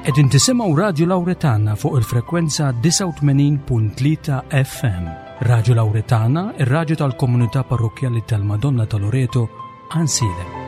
Qegħdin tisimgħu Radju Lawretana fuq il-frekwenza 89.3 FM. Radju Lawretana, ir-radju tal-komunità parrokkjali tal-Madonna ta' Loreto, Għansielem.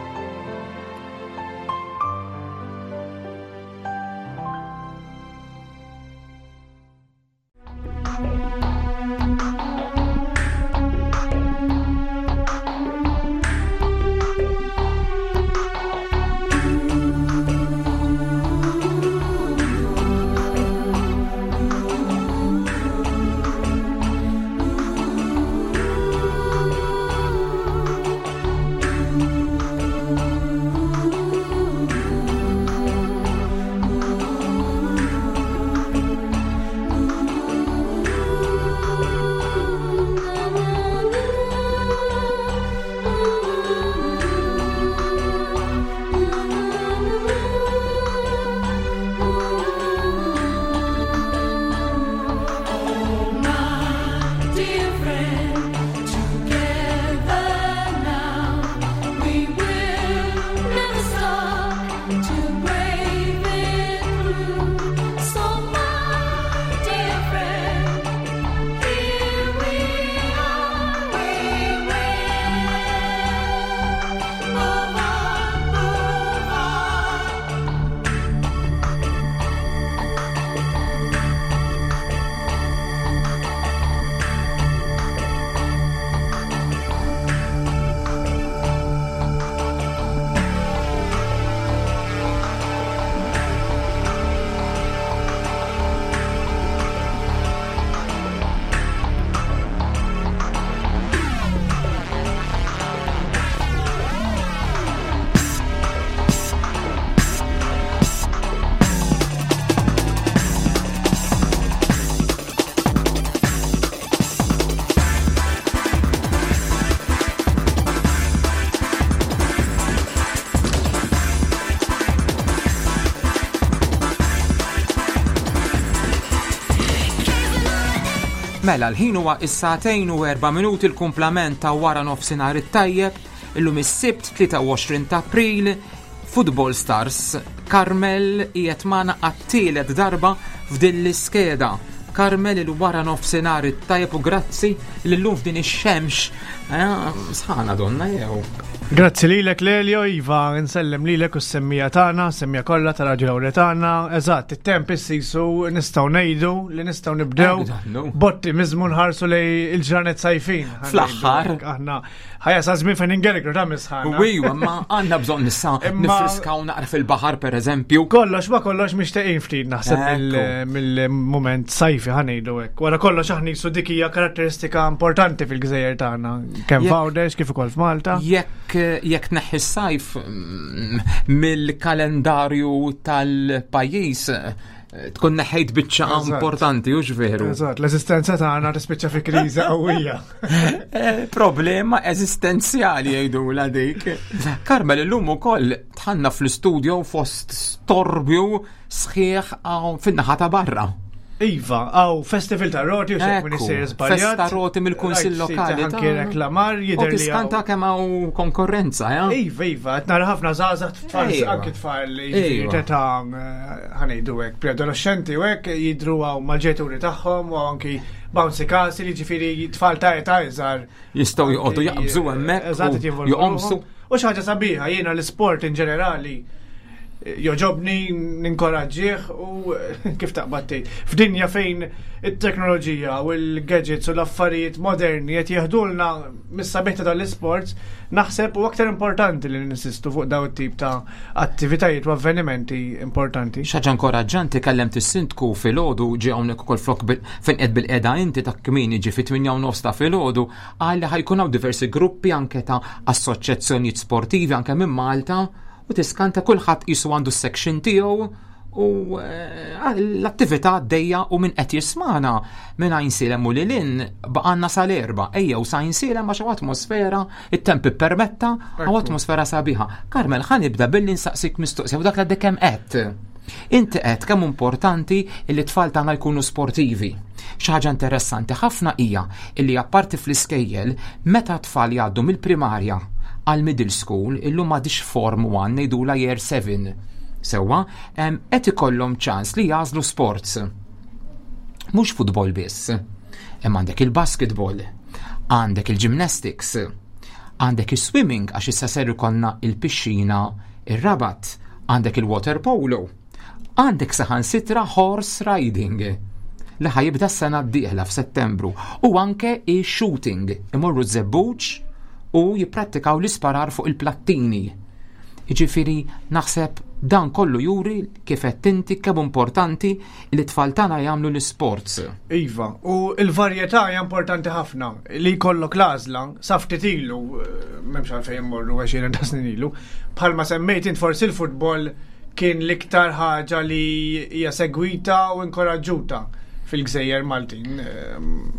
Mela l-ħin huwa is-sagħtejn u erba' minuti l-kumplament ta' wara nofsinhar it-tajjeb, illum is-Sibt 23 ta' April, Football Stars Carmel qiegħed magħna għat-tielet darba f'din l-iskeda. Carmel il-wara nofsinhar it-tajjeb u grazzi li llum f'din ix-xemx eh, sħana donna jew. Grazzi lilek Lelio, Iva, nsellem lilek u s-semmija tagħna, semmija kollha ta' Raġu Lawretana. Eżatt, it-temp issisu nistgħu ngħidu li nistgħu nibdew b'ottimizmu nħarsu lej il-ġranet sajfin. Fl-aħħar. Aħna ħajja sa żmien fejn ingergru ta' misħana. Wijwa, ma għandna bżonn nissa nifriskaw naqra fil-baħar pereżempju. Kollox ma kollox mixtieqin ftit naħseb mill-mument sajfi ħanejdu hekk. Wara kollox aħna jisu dik hija karatteristika importanti fil-gżejjer tagħna. Kemm f'Għawdex kif ukoll f'Malta. Jekk jekk tneħħi s-sajf mm, mill-kalendarju tal-pajjiż eh, tkun neħejt biċċa importanti u veru. Eżatt, l-eżistenza tagħna tispiċċa fi kriżi qawwija. Eh, problema eżistenzjali jgħidula dik. Karmel illum ukoll tħanna fl-istudio fost storbju sħiħ fin-naħa ta' barra. Iva, għaw festival ta' roti u xek minn isir zbaljat. Festa roti mill-Kunsill Lokali. Anki reklamar jidher li. Tiskanta kemm hawn konkurrenza, ja? Iva, iva, qed nara ħafna żgħażagħ tfal, anki tfal jiġifieri ta' ħanejdu hekk, preadolescenti u hekk jidhru hawn mal-ġenituri tagħhom u anki bouncy castle, jiġifieri tfal ta' età iżgħar. Jistgħu joqogħdu jaqbżu hemmhekk u joqomsu. U xi ħaġa sabiħa, jiena l-isport in ġenerali joġobni, ninkoraġġih u kif taqbad tgħid. F'dinja fejn it-teknoloġija u l-gadgets u l-affarijiet moderni qed jeħdulna mis-sabiħ ta' tal-isports, naħseb u aktar importanti li ninsistu fuq daw it-tip ta' attivitajiet u avvenimenti importanti. Xaġa inkoraġġanti kellemt is-sindku filgħodu ġie hawnhekk ukoll flok fejn qed bil-qeda inti ta' kmieni ġie fit-8 nofs ta' filgħodu qal li ħajkun hawn diversi gruppi anke ta' assoċjazzjonijiet sportivi anke minn Malta u tiskanta kulħadd qisu għandu s-section tiegħu u eh, l-attività għaddejja u minn qed jismana minn Għajnsielem u lilin baqanna sal-erba. Ejjew sa Għajnsielem għax atmosfera, it-temp ippermetta, u atmosfera sabiħa. Karmel, ħa nibda billi nsaqsik mistoqsija u dak li kemm qed. Inti qed kemm importanti li t-tfal tagħna jkunu sportivi. Xi ħaġa interessanti ħafna hija illi apparti fl-iskejjel meta tfal jgħaddu mill-primarja għal middle school illum m'għadix form 1 ngħidula year 7. Sewwa, qed ikollhom ċans li jagħżlu sports. Mhux futbol biss. Hemm għandek il-basketball, għandek il-gymnastics, għandek is-swimming għax issa ser ikollna il-pixxina ir-Rabat, għandek il-water polo, għandek saħansitra horse riding li ħa jibda s-sena d-dieħla f'Settembru u anke i-shooting, imorru Żebbuġ u jipprattikaw l-isparar fuq il-plattini. Jiġifieri naħseb dan kollu juri kif qed inti kemm importanti li t-tfal tagħna jagħmlu l-isports. Iva, u l-varjetà hija importanti ħafna li jkollok l-għażla sa ftit ilu, eh, m'hemmx għalfejn immorru 20 ta' snin ilu, bħalma semmejt int forsi l-futbol kien l-iktar ħaġa li hija segwita u inkoraġġuta fil-gżejjer Maltin, eh,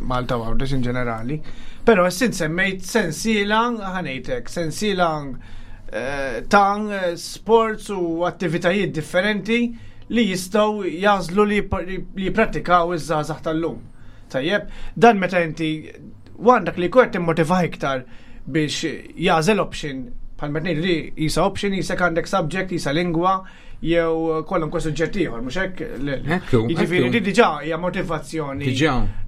Malta u Għawdex in ġenerali. Però issa semmejt sensiela, ħa ngħidlek, sensiela eh, ta' sports u attivitajiet differenti li jistgħu jagħżlu li jipprattikaw iż-żgħażagħ tal-lum. Tajjeb, dan meta inti għandek li kort timmotiva iktar biex jagħżel option bħal meta ngħidu li jisa option jisek għandek subject, jisa lingwa, jew kwalunkwe suġġett ieħor, mhux hekk? Jiġifieri di diġà hija motivazzjoni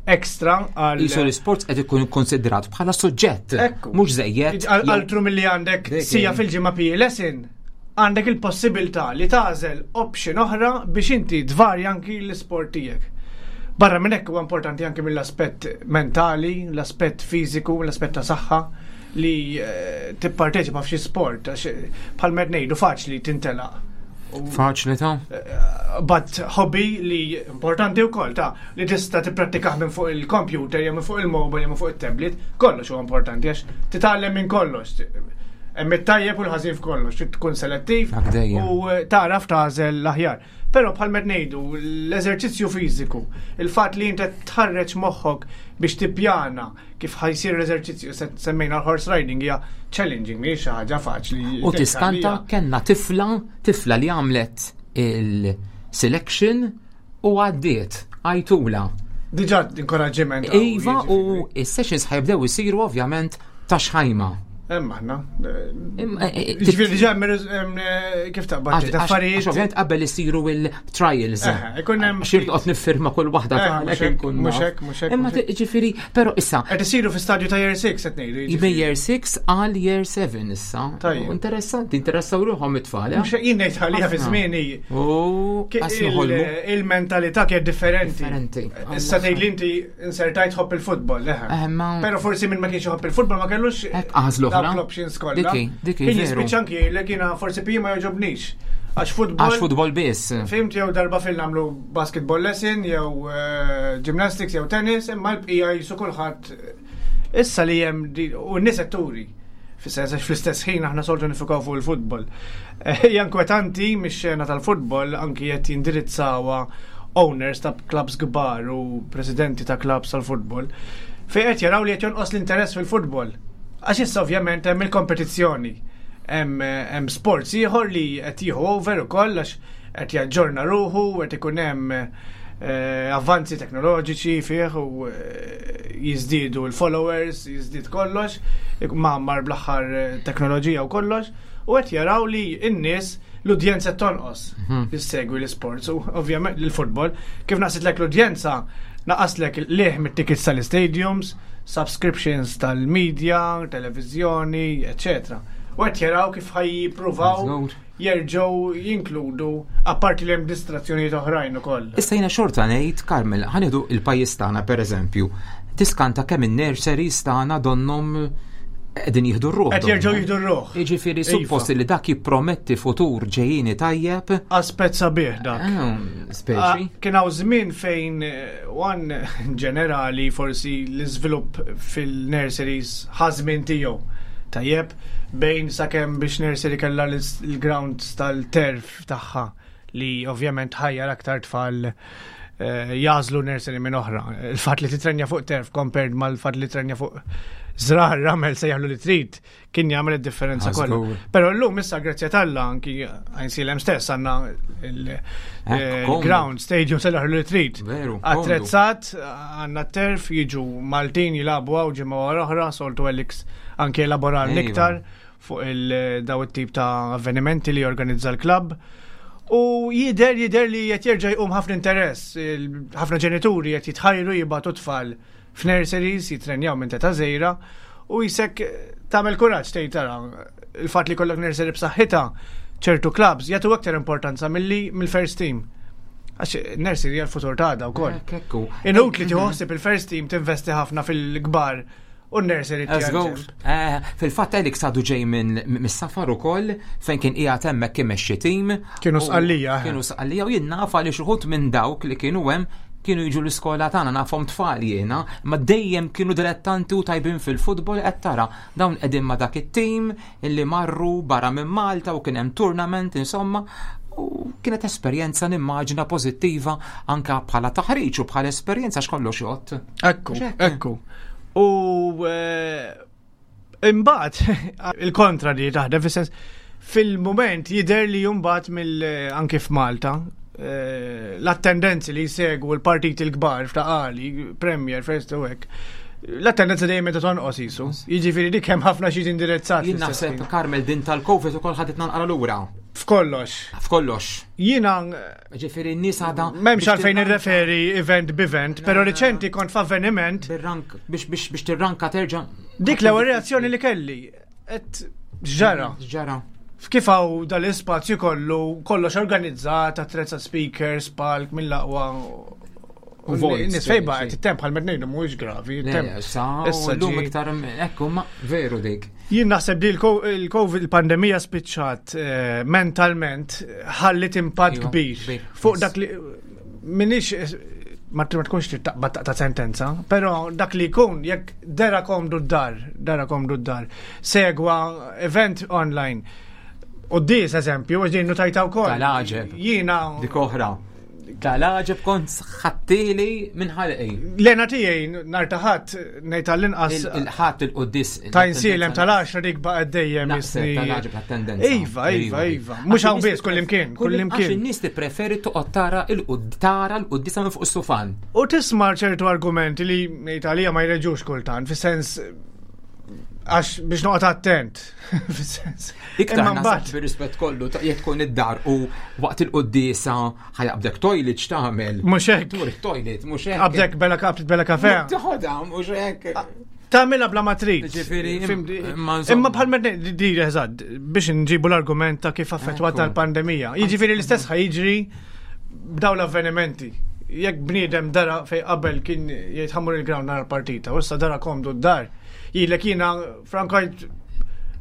ekstra għal. Isu l-isport qed ikun ikkonsidrat bħala suġġett. Mhux żejjed. Altru milli għandek sija fil-ġimgħa PE lesson, għandek il-possibilità li tagħżel option oħra biex inti tvarja anki l-isport tiegħek. Barra minn hekk huwa importanti anki mill-aspett mentali, l-aspett fiżiku, l-aspett ta' saħħa li eh, tipparteċipa f'xi sport, għax eh, bħal med ngħidu faċli tintelaq. Faċli ta' eh, But hobby li importanti wkoll ta' li tista' tipprattikah minn fuq il-computer jew minn fuq il-mobile jew minn fuq it-tablet, kollox huwa importanti għax titgħallem minn kollox. Hemm it-tajjeb u l-ħażin f'kollox, trid tkun selettiv u tagħraf tagħżel l-aħjar. Però bħal med ngħidu, l-eżerċizzju fiżiku, il-fatt li inti tħarreġ moħħok biex tippjana kif ħa jsir l-eżerċizzju, semmejna l-horse riding hija challenging, mhijiex xi ħaġa faċli. U tiskanta kellna tifla, tifla li għamlet il-selection u għaddiet, għajtula. Diġà inkoraġġiment. Iva u s-sessions ħa jibdew isiru ovvjament ta' xħajma. Hemm aħna. Eh, eh, Ġifieri diġà eh, kif taqbad affarijiet. Ovvjament qabel isiru il-trials. Ikun hemm xi toqgħod niffirma kull waħda tagħlek inkun. Mhux hekk, mhux hekk. Imma ġifieri, però issa. Qed isiru fi stadju ta' year 6 qed ngħidu. Bej year 6 għal year 7 issa. Interessanti, interessaw ruħhom it-tfal. Mhux jien ngħid ħalija fi żmieni. Il-mentalità kienet differenti. Differenti. Issa tgħid li inti insertajt tħobb il-futbol, leħe. Eh, Pero forsi minn ma kienx iħobb il-futbol ma kellux għażlu oħra. L-options kollha. Dik Kien jispiċċa anki jgħidlek jiena forsi PE ma jogħġobnix. Għax futbol. Għax futbol biss. Fimt jew darba fil nagħmlu basketball lesson jew eh, gymnastics jew tennis, imma l-bqija jisu kulħadd issa li hemm u n-nies qed turi. Fis-sens għax fl-istess ħin aħna soltu nifukaw fuq il-futbol. Eh, hija inkwetanti mix-xena tal-futbol anki qed jindirizzawa owners ta' clubs kbar u presidenti ta' clubs tal-futbol fejn qed jaraw li qed jonqos l-interess fil-futbol. Għax issa ovvjament hemm il-kompetizzjoni. Hemm sports ieħor li qed jieħu over ukoll għax qed jaġġorna ruħu, qed ikun hemm eh, avvanzi teknoloġiċi fih u eh, jiżdiedu l-followers, jiżdied kollox, mgħammar bl-aħħar eh, teknoloġija u kollox, u qed jaraw li n-nies l-udjenza tonqos mhm. li segwi l-sports u ovvjament l-futbol. Kif naqsitlek l-udjenza, naqaslek liħ mit-tickets tal-stadiums, subscriptions tal-media, televizjoni, etc. U qed jaraw kif ħa jippruvaw jerġgħu jinkludu apparti li hemm distrazzjonijiet oħrajn ukoll. Issa jiena xorta ngħid, Carmel, ħa nieħdu il-pajjiż tagħna pereżempju, tiskanta kemm in-nurseries tagħna donnhom qegħdin jieħdu r-ruħ. Qed jerġgħu jieħdu r-ruħ. Jiġifieri iva. suppost li dak jipprometti futur ġejjini tajjeb. Aspett sabiħ dak. Eh, speċi. Ah, kien hawn żmien fejn eh, wan ġenerali forsi l-iżvilupp fil-nurseries ħażmin tiegħu. Tajjeb, bejn sakemm biex nursery kellha l-grounds tal-turf tagħha li ovvjament ħajjar aktar tfal eh, jagħżlu nursery minn oħra. Il-fatt li titrenja fuq turf compared mal-fatt li titrenja fuq żrar ramel se jagħmlu li trid kien jagħmel id-differenza kollha. Però llum issa grazzja t'Alla anki Għajnsielem stess għandna il-ground stadium se li trid. Attrezzat għandna turf jiġu Maltin jilagħbu hawn ġimgħa wara oħra, soltu Alex anki elaborar iktar fuq il-daw it-tip ta' avvenimenti li jorganizza l-klabb. U jidher jidher li qed jerġa' jqum ħafna interess, ħafna ġenituri qed jitħajru jibgħatu tfal f'nurseries jitrenjaw minn teta' żgħira u jisek tagħmel kuraġġ tgħid tara il-fatt li jkollok nursery b'saħħitha ċertu clubs jagħtu aktar importanza milli mill-first team. Għax nursery hija l-futur tagħda wkoll. Inutli tieħu ħsieb il-first team tinvesti ħafna fil-kbar u n-nursery tiegħek. Eh, fil-fatt Alex għadu ġej minn mis-safar ukoll fejn kien qiegħed hemmhekk imexxi tim. Kienu sqallija. Eh. Kienu sqallija u jien naf għaliex uħud minn dawk li kienu hemm kienu jiġu l-iskola tagħna nafhom tfal jiena, ma dejjem kienu dilettanti u tajbin fil-futbol qed tara dawn qegħdin ma' dak it-tim illi marru barra minn Malta u kien hemm tournament insomma u kienet esperjenza nimmaġina pożittiva anka bħala taħriġ u bħala esperjenza x'kollox jgħod. Ekku, ekku. U eh, imbagħad il-kontra li taħdem fis-sens fil-mument jidher li mbagħad mill eh, anke f'Malta eh, l-attendenzi li jsegwu l-partiti l-kbar f'taqali, Premier, First u hekk, l-attendenza dejjem meta tonqos isu. Jiġifieri dik hemm ħafna xi indirizzat. Jien naħseb Karmel din tal-Covid ukoll ħadet nanqara lura. F'kollox. F'kollox. Jiena Ġifieri n-nies għadha. M'hemmx għalfejn nirreferi event b'event, però riċenti kont f'avveniment. Bir-rank biex biex biex tirranka terġa'. Dik l-ewwel reazzjoni li kelli. Et ġara. Ġara. Kif hawn dal-ispazju kollu, kollox organizzat, attrezza speakers, palk mill-aqwa. U vojt. Nis fejn baqgħet it-temp bħal meta ngħidu mhuwiex gravi. Issa llum iktar ekku ma veru dik. Jien naħseb li l-Covid il-pandemija spiċċat eh, mentalment ħallit impatt iva, kbir fuq dak li minix eh, ma tkunx trid taqbad ta' sentenza, però dak li jkun jekk dera komdu d-dar, dera komdu d-dar, segwa event online. U dis eżempju, għax din notajta wkoll. Tal-għaġeb. Jiena. Dik oħra. Tal-għaġeb kont ħattili minn ħalqi. Lena tiegħi nhar ta' ħadd ngħid tal-inqas. Il-ħadd il-quddis. Ta' insielem tal-10 dik baqgħet dejjem. Tal-għaġeb tat-tendenza. Iva, iva, iva. Mhux hawn biss kullimkien, kullimkien. Għax in-nies tippreferi toqgħod tara tara l-quddisa minn fuq is-sufan. U tisma' ċertu argumenti li ngħid għalija ma jreġux kultant, fis-sens għax biex noqgħod attent. Fis-sens. Iktar naħseb bir-rispett kollu ta' jekk tkun id-dar u waqt il-quddiesa ħajaqbdek toilet x'tagħmel. Mhux hekk. Tmur it-toilet, mhux hekk. Qabdek bella qabdet bella kafe. Toħodha mhux hekk. Tagħmilha bla ma trid. Ġifieri, imma bħal ma di eżatt biex nġibu l-argument ta' kif affettwat tal-pandemija. Jiġifieri l-istess ħajġri b'daw l-avvenimenti. Jekk bniedem dara fej qabel kien jgħid ħammur il-ground nara l-partita, u issa dara komdu d-dar. Jilek jiena frankajt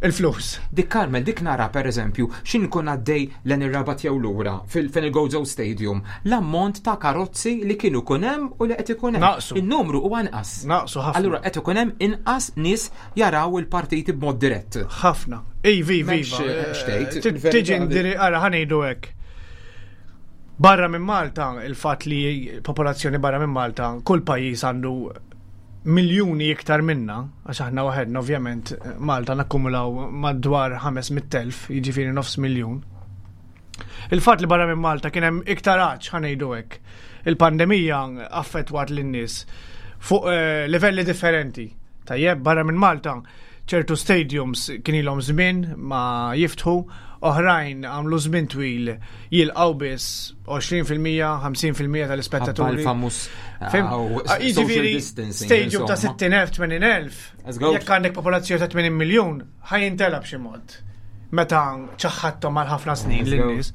il-flus. Dik Carmel, dik nara per eżempju, xin kun għaddej l ir-rabat jew lura fil Gozo Stadium, l-ammont ta' karozzi li kienu kun hemm u li qed ikun hemm. Naqsu. Il-numru huwa inqas. Naqsu ħafna. Allura qed ikun hemm inqas nies jaraw il-partiti b'mod dirett. Ħafna. Ivi, ivi, eh, Tiġi ndiri, ara ħanejdu hekk. Barra minn Malta, il-fatt li popolazzjoni barra minn Malta, kull pajjiż għandu miljuni iktar minna, għax aħna waħedna ovvjament Malta nakkumulaw madwar 500,000, jiġifieri nofs miljun. Il-fatt li barra minn Malta kien hemm iktar għatx ħanejdu hekk. Il-pandemija affettwat lin-nies fuq eh, livelli differenti. Tajjeb, barra minn Malta ċertu stadiums kien ilhom żmien ma jiftħu, oħrajn għamlu żmien twil jilqgħu biss 20%, 50% tal-ispettaturi. Famus. Ah, jiġifieri stadium ta' 60,000, 80,000. Jekk għandek popolazzjoni ta' 80 miljun, ħajintela b'xi mod. Meta ċaħħadthom għal ħafna snin lin-nies.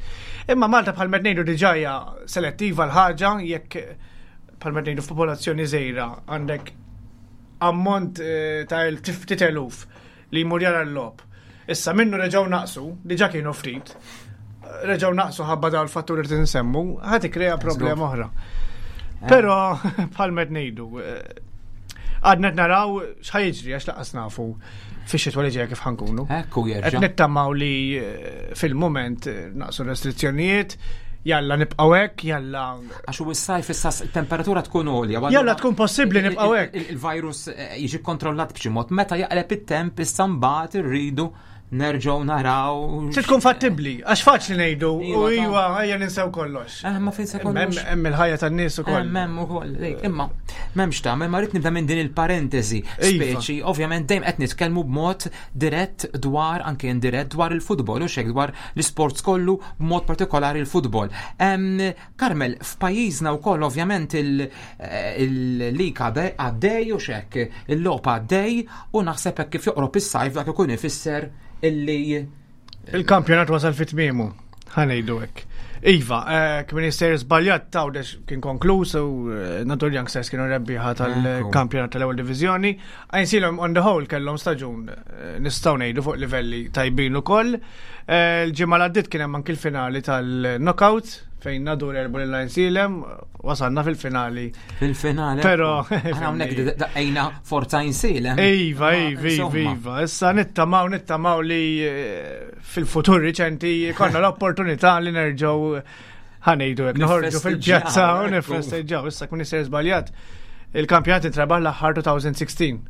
Imma Malta bħal ngħidu diġà hija selettiva l-ħaġa jekk bħal ngħidu f'popolazzjoni żgħira għandek ammont eh, ta' ftit eluf li jmur jara l-logħob. Issa minnu reġgħu naqsu, diġà kienu ftit, reġgħu naqsu ħabba dawn il-fatturi li tinsemmu, ħad ikkrea problema oħra. Eh. Però bħal med ngħidu, eh, għadna naraw x'ħajġri għax laqas nafu fix-xitwa li ġejja kif ħankunu. Ekku jerġa'. Qed nittamaw li eh, fil-mument naqsu restrizzjonijiet, jalla nibqgħu hekk, jalla. Għax u s-sajf issa temperatura tkun għolja. Jalla tkun possibbli nibqgħu hekk. Il-virus eh, jiġi kontrollat b'xi mod. Meta jaqleb it-temp issa mbagħad irridu nerġgħu naraw. Se tkun fattibbli, għax faċli ngħidu u Iva, ta' iwa ejja ninsew kollox. Ma fejn se kollox. Hemm il-ħajja tan-nies ukoll. Hemm ukoll, dik, imma m'hemmx tagħmel, ma rrid nibda minn din il-parentesi. Iva. Speċi, ovvjament dejjem qed nitkellmu b'mod dirett dwar anke indirett dwar il-futbol u xek dwar l-isports kollu b'mod partikolari il-futbol. Carmel, f'pajjiżna wkoll ovvjament il-lig għaddej u xek, il-logħob għaddej u naħseb hekk kif joqrob is-sajf dak ikun ifisser illi Il-kampjonat wasal fit tmiemu, ħa ngħidu hekk. Iva, kien jisser żbaljat Għawdex kien konkluż u Nadur Youngsters kienu rebbieħa tal-kampjonat tal-ewwel diviżjoni. Għajnsielem on the whole kellhom staġun nistgħu ngħidu fuq livelli tajbin ukoll. Il-ġimgħa l għaddiet kien hemm anki l-finali tal-knockout fejn Nadur għelbu lil Għajnsielem, wasalna fil-finali. Fil-finali. Però Aħna hawnhekk daqqejna Forza Għajnsielem. Iva, Ma, iva, iva, insomma. iva. Issa nittamaw li fil-futur riċenti konna l-opportunità li nerġgħu ħa ngħidu hekk, noħorġu Nifesteġġjaw, fil-pjazza u ekku. nifesteġġjaw. Issa kun jisir żbaljat. Il-kampjonat intrebaħ l-aħħar 2016.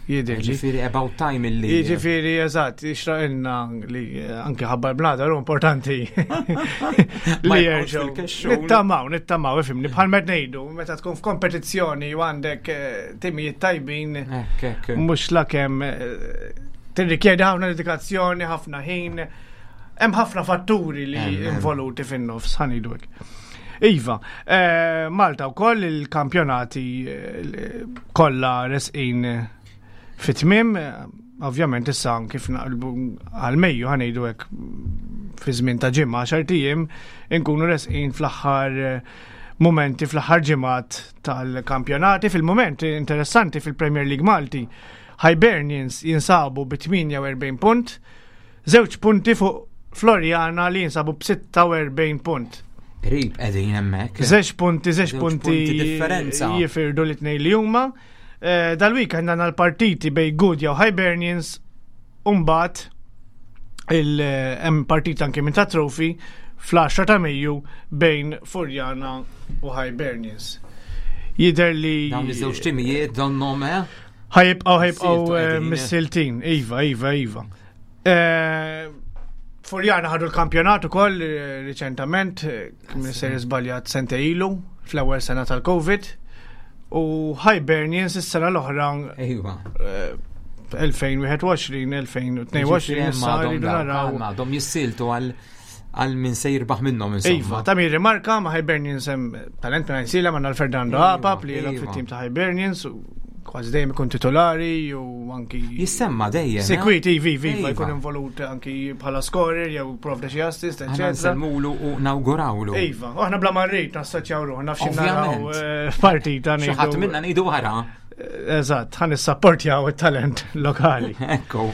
Jidhirli. Ġifieri about time illi. Jiġifieri, eżatt, jixraqilna li anke ħabbar bnadar u importanti Ma li jibqgħux jerġgħu. fil-kexxun. Nittamaw, nittamaw, ifhimni, bħal met ngħidu, meta tkun f'kompetizzjoni u għandek timijiet tajbin, Ekk, ekk. mhux lakemm tirrikjedi ħafna dedikazzjoni, ħafna ħin, hemm ħafna fatturi li Hemm, hemm. involuti fin-nofs, ħa ngħidu hekk. Iva, Malta wkoll il-kampjonati kollha resqin fit-tmiem, ovvjament issa kif naqlbu għal Mejju ħa ngħidu hekk fi żmien ta' ġimgħa għaxar ijiem inkunu resqin fl-aħħar momenti fl-aħħar ġimgħat tal-kampjonati. Fil-moment interessanti fil-Premier League Malti, Hibernians jinsabu bi 48 punt, żewġ punti fuq Floriana li jinsabu b'46 punt. Qrib qegħdin hemmhekk. Żewġ punti, żewġ Żewġ punti punti differenza. jifirdu li tnej li huma. Dal-weekend għandna l-partiti bejn Gudja u Hibernians u mbagħad hemm partita anke minn ta' trophy fl-10 ta' Mejju bejn Furjana u Hibernians. Jidher li Dawn iż-żewġ timijiet donhom, eh? Ħajibqgħu Siltu qegħdin. mis-siltin. Iva, iva, iva. Furjana ħadu l-kampjonat ukoll riċentament, kien ser żbaljat sente ilu fl-ewwel sena tal-Covid. U Hibernians is-sena l-oħra 2021, 2022 issa rridu naraw. Għadhom jissiltu għal min se jirbaħ minnhom insomma. Iva, ta' min rimarka ma' Hibernians hemm talent minn Għajnsielem għandna l-Fernando Apap li jilgħab fit-tim ta' Hibernians u kważi dejjem ikun titolari u anki Jissemma dejjem. Sekwit, ivi, ivi, iva, jkun involut anki bħala scorer jew provda xi assist, Aħna eccetera. nsellmulu u nawgurawlu. Iva, u aħna bla marrit nassoċjaw ruħna f'xi naraw Ovvjament. partita Xi ħadd ngħidu. minna ngħidu wara. Eżatt, ħan nissapportjaw it-talent lokali. Ekku.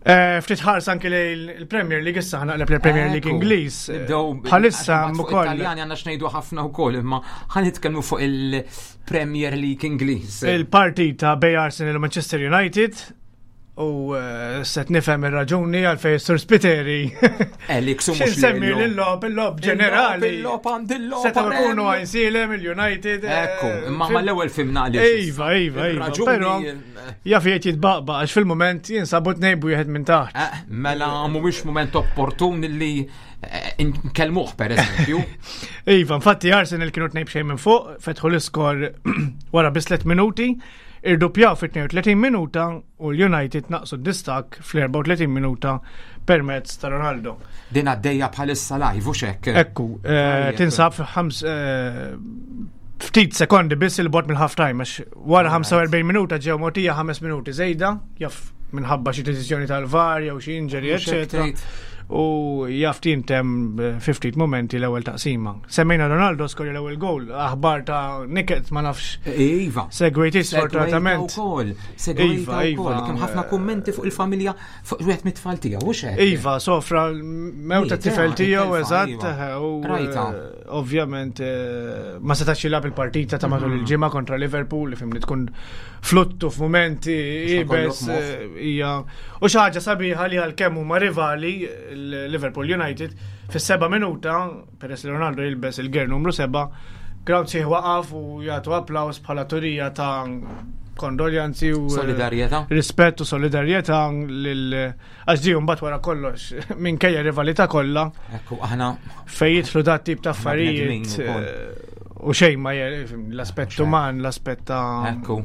Ftit ħars anki lejn il-Premier League issa ħa naqleb l-Premier League Ekku. Ingliż. Nibdew Bħalissa għax fuq ukoll Italjani għandna x'ngħidu ħafna wkoll, imma ħa nitkellmu fuq il-Premier League Ingliż. il-partita bej Arsenal u Manchester United u set nifhem ir-raġuni għalfejn Sur Spiteri. Elix u mhux X'insemmi Lelio. l-lob, il-lob ġenerali. Il-lob għand il-lob. Setgħu għal jkunu hemm. Għajnsielem, il-United. Ekku, imma mal-ewwel fimna għaliex. Iva, iva, iva. Ir-raġuni, Però jaf jgħid jitbaqbaq għax fil-moment jinsabu tnejn b'wieħed minn taħt. Mela mhuwiex mument opportun li nkellmuh pereżempju. Iva, infatti Arsenal kienu tnejn b'xejn minn fuq, fetħu l-iskor wara biss 3 minuti, irdupjaw fit-32 minuta u l-United naqsu d-distak fl-34 minuta permezz ta' Ronaldo. Din għaddejja bħalissa live u xek. Ekku, tinsab ftit sekondi biss il-bot mill-half time, għax wara 45 minuta ġew mogħtija 5 minuti żejda, jaf minħabba xi deċiżjoni tal-VAR jew xi injury, Mhux hekk eccetera. tgħid. U jaf tintem 50 momenti l-ewwel taqsima. Semmejna Ronaldo skorja l-ewwel goal, aħbar ta' niket ma nafx Iva. segwejti sfortunatament. Segwejta wkoll, segwejta Iva, wkoll. iva. Kemm ħafna kummenti fuq il-familja fuq wieħed mit-tfal tiegħu, hux hekk? Iva, sofra l-mewt Miet, tifel tiegħu it-telfa, eżatt, iva. u Rajta. ovvjament ma setax jilgħab il-partita ta' matul il-ġimgħa kontra Liverpool li fimni tkun fluttu f'mumenti Mhux ibes ħakollok moħħ. hija u xi ħaġa sabiħa li għalkemm huma rivali l-Liverpool United fis-seba' minuta peress li Ronaldo jilbes il-ger numru 7 crowd sieħ waqaf u jagħtu applaws bħala turija ta' kondoljanzi u eh, Solidarjetà. rispett u solidarjetà lil għax di mbagħad wara kollox minkejja rivalità kollha Ekku, aħna fejn jidħlu dat tip ta' bnedmin affarijiet ukoll. eh, u xejn ma je- l-aspett uman, l-aspett ta' Ekku.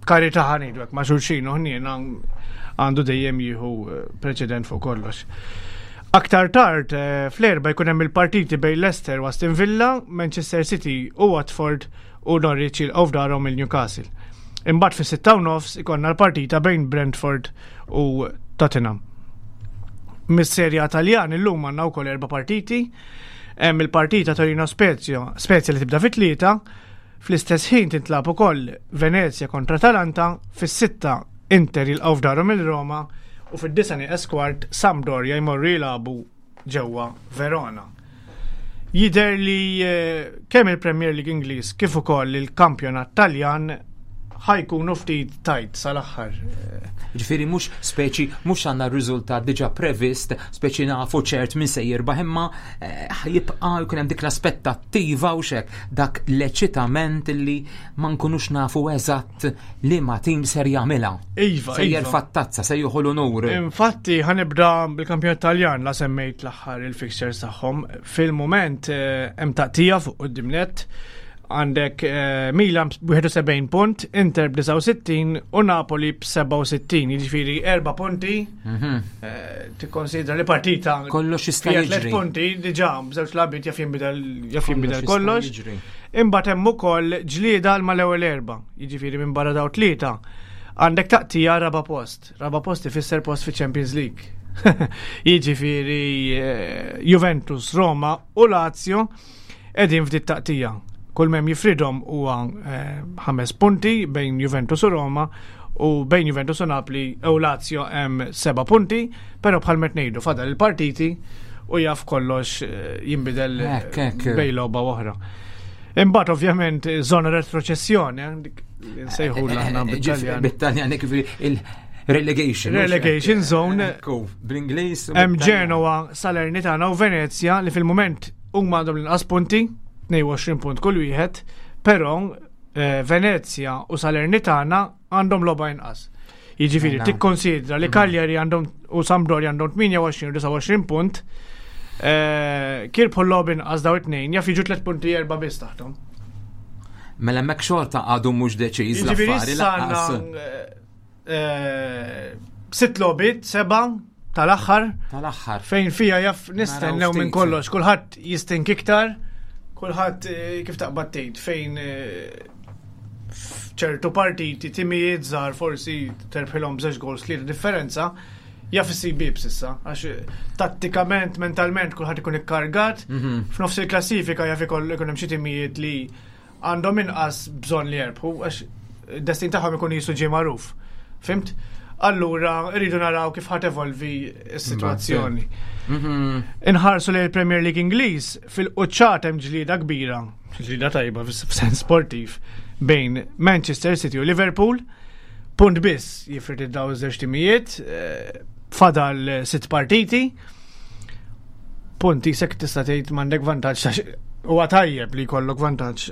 karità ħanidu hekk ma' xulxin u ħniena għandu dejjem jieħu eh, preċedent fuq kollox. Aktar tard eh, fl-erba jkun hemm il-partiti bejn Leicester u Aston Villa, Manchester City u Watford u Norwich jilqgħu f'darhom il-Newcastle. Imbagħad fis-sitta u nofs ikollna l-partita bejn Brentford u Tottenham. Mis-Serja Taljan illum għandna wkoll erba' partiti. Hemm il-partita Torino Spezia, Spezia li tibda fit-tlieta, fl-istess ħin tintlab ukoll Venezia kontra Atalanta, fis-sitta Inter jilqgħu f'darhom il-Roma u fid-disa nieqes kwart Sampdoria jmorru jilagħbu ġewwa Verona. Jidher li eh, kemm il-Premier League Ingliż kif ukoll il-Kampjonat Taljan ħajkunu ftit tajt sal-aħħar. Ġifieri mhux speċi mhux għandna r-riżultat diġà previst, speċi nafu ċert min se jirbaħ imma eh, jibqa' jkun hemm dik l-aspettattiva u xek dak l-eċitament li ma nkunux nafu eżatt li ma tim ser jagħmilha. Iva, Se iva. jerfa' t-tazza, se jieħu l-unur. Infatti, ħanibda bil-kampjonat Taljan la semmejt l-aħħar il-fixtures tagħhom. Fil-moment eh, hemm taqtija fuq quddiem net għandek eh, Milan b'71 punt, Inter b'69 u Napoli b'67, jiġifieri erba' punti. Eh, Tikkonsidra li partita Kollox jista' fija tliet jiġri. punti diġà b'żewġ lagħbiet jaf jinbidel jaf jinbidel jista' kollox. jiġri. Imbagħad hemm ukoll ġlieda għal mal-ewwel erba', jiġifieri minn barra daw tlieta. Għandek taqtija raba post. Raba post ifisser post fi Champions League. jiġifieri eh, Juventus, Roma u Lazio qegħdin f'dit taqtija. Kull mem jifridhom huwa eh, ħames punti bejn Juventus u Roma u bejn Juventus u Napli u Lazio hemm seba' punti, però bħal met ngħidu fadal il-partiti u jaf kollox eh, jinbidel eh, Hekk, hekk. bejn logħba oħra. Imbagħad ovvjament żona retroċessjoni, eh, dik li nsejħu aħna bit-Taljan. Bit-Taljan, ġifieri il-relegation. Relegation zone. Ekku, bl-Ingliż. u Hemm bit-Taljan. Genoa, Salernitana u Venezia li fil-moment huma għandhom l-inqas punti, 22 punt kull wieħed, però eh, Venezia u Salernitana għandhom logħba inqas. Jiġifieri Mela. tikkonsidra li Cagliari għandhom u Sampdoria għandhom 28 u 29 punt, eh, kirbħu l-logħba inqas daw it-tnejn jaf jiġu 3 punti erba' biss taħtom. Mela hemmhekk xorta għadu mhux deċiż Jiġifieri l-affari issa għandna lanqas. eh, eh, sitt logħbiet, seba' tal-aħħar Tal-aħħar. fejn fija jaf nistennew Naraw minn ftit. kollox, kulħadd jistink iktar, kulħadd eh, kif taqbad tgħid fejn eh, f'ċertu partiti timijiet żgħar forsi terbħilhom b'żewġ goals tlieta differenza, jaf issib bib s'issa, għax eh, tattikament, mentalment kulħadd ikun ikkargat, f'nofs il-klassifika jaf ikoll ikun hemm xi timijiet li għandhom inqas bżonn li jerbħu għax id-destin tagħhom ikun jisu ġie magħruf. Fimt? Allura rridu naraw kif ħat evolvi s-sitwazzjoni. Inħarsu li l-Premier League Ingliż fil-quċċat hemm ġlieda kbira, ġlieda tajba f'sens sportiv bejn Manchester City u Liverpool. Punt biss jifrid id-daw iż-żewġ timijiet, eh, fadal sitt partiti. Punt jisek tista' tgħid m'għandek vantaġġ għax huwa tajjeb li jkollok vantaġġ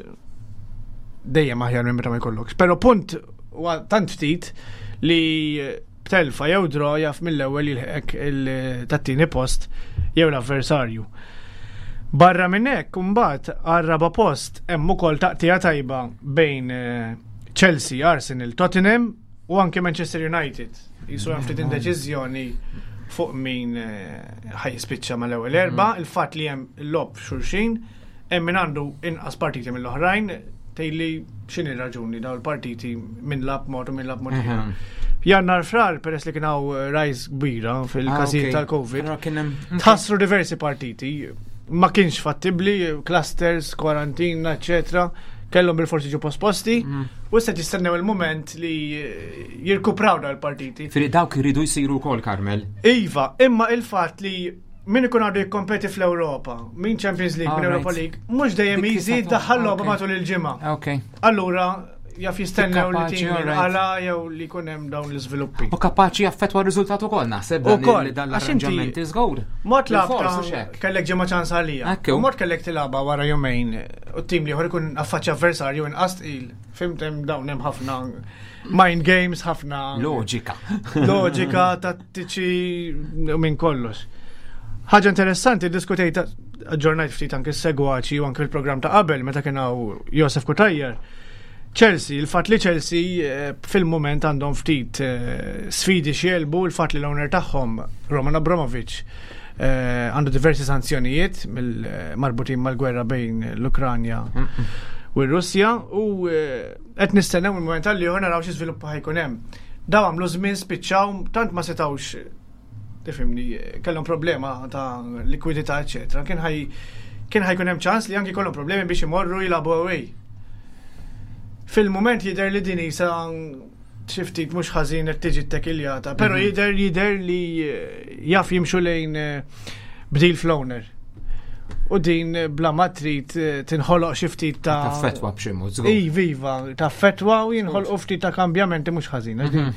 dejjem aħjar minn meta ma jkollokx. Però punt huwa tant ftit li b'telfa jew draw jaf mill-ewwel jilħek il-tat-tieni post jew l-avversarju. Barra minn hekk imbagħad għar-raba post hemm ukoll taqtija tajba bejn eh, Chelsea, Arsenal, Tottenham u anke Manchester United. Jisu hemm ftit indeċiżjoni fuq min eh, ħajspiċċa mal-ewwel erba, il-fatt li hemm il-lob xulxin, hemm min għandu inqas partiti mill-oħrajn, tgħidli x'inhi raġuni daw il-partiti minn lab mod u minn lab mod. ieħor. Jannar frar, peress li kien hawn eh, rise kbira fil-każijiet tal-Covid, Allora kien hemm tħassru diversi partiti, ma kienx fattibli, clusters, kwarantina, eccetera, kellhom bil-forsi ġu posposti, u issa jistennew il-moment li eh, jirkupraw dal-partiti. Firi dawk iridu jsiru wkoll Karmel. Iva, imma il-fatt li min ikun għadu jikkompeti fl-Ewropa, min Champions League, min Alright. Europa League, mhux dejjem Dik easy tista' daħħal logħba ok. matul il-ġimgħa. Ok. Allura, jaf jistennew li Kapaċi, tim alright. għala jew li jkun hemm dawn l-iżviluppi. U kapaċi jaffetwa r-riżultat ukoll naħseb dan Ukoll, dan għax inti- l-arranġamenti żgur. Mod Bil-fors, labta u xek. kellek ġimgħa ċans għalija. Ekku. U Mod kellek tilaba wara jumejn u t-tim li ikun affaċċja avversarju inqas tqil. Fimt hemm dawn hemm ħafna mind games, ħafna Loġika. loġika, tattiċi u minn kollox. Ħaġa interessanti, diskutejt aġġornajt ftit anke s-segwaċi u anke il-programm ta' qabel meta kien hawn Josef Kutajjar. Chelsea, il-fat li Chelsea fil-moment għandhom ftit sfidi xielbu, il-fat li l-owner tagħhom Roman Abramovich għandu diversi sanzjonijiet marbutin mal-gwerra bejn l-Ukranja u r-Russja u qed nistennew il-moment għal ieħor naraw xi żviluppa ħajkun hemm. Daw għamlu żmien spiċċaw tant ma setgħux tifhimni kellhom problema ta' likwidità eċetera. Kien ħaj kien ħajkun hemm ċans li anki kollhom problemi biex imorru jilagħbu away. Fil-moment jidher li din isa xi ftit mhux ħażin qed tiġi ttekiljata, però jidher jidher li jaf jimxu lejn bdil fl-owner. U din bla ma trid tinħoloq xi ftit ta' Taffetwa b'xi mod żgur. Iva, iva, ta' fetwa u jinħolqu ftit ta' kambjamenti mhux ħażin. għax din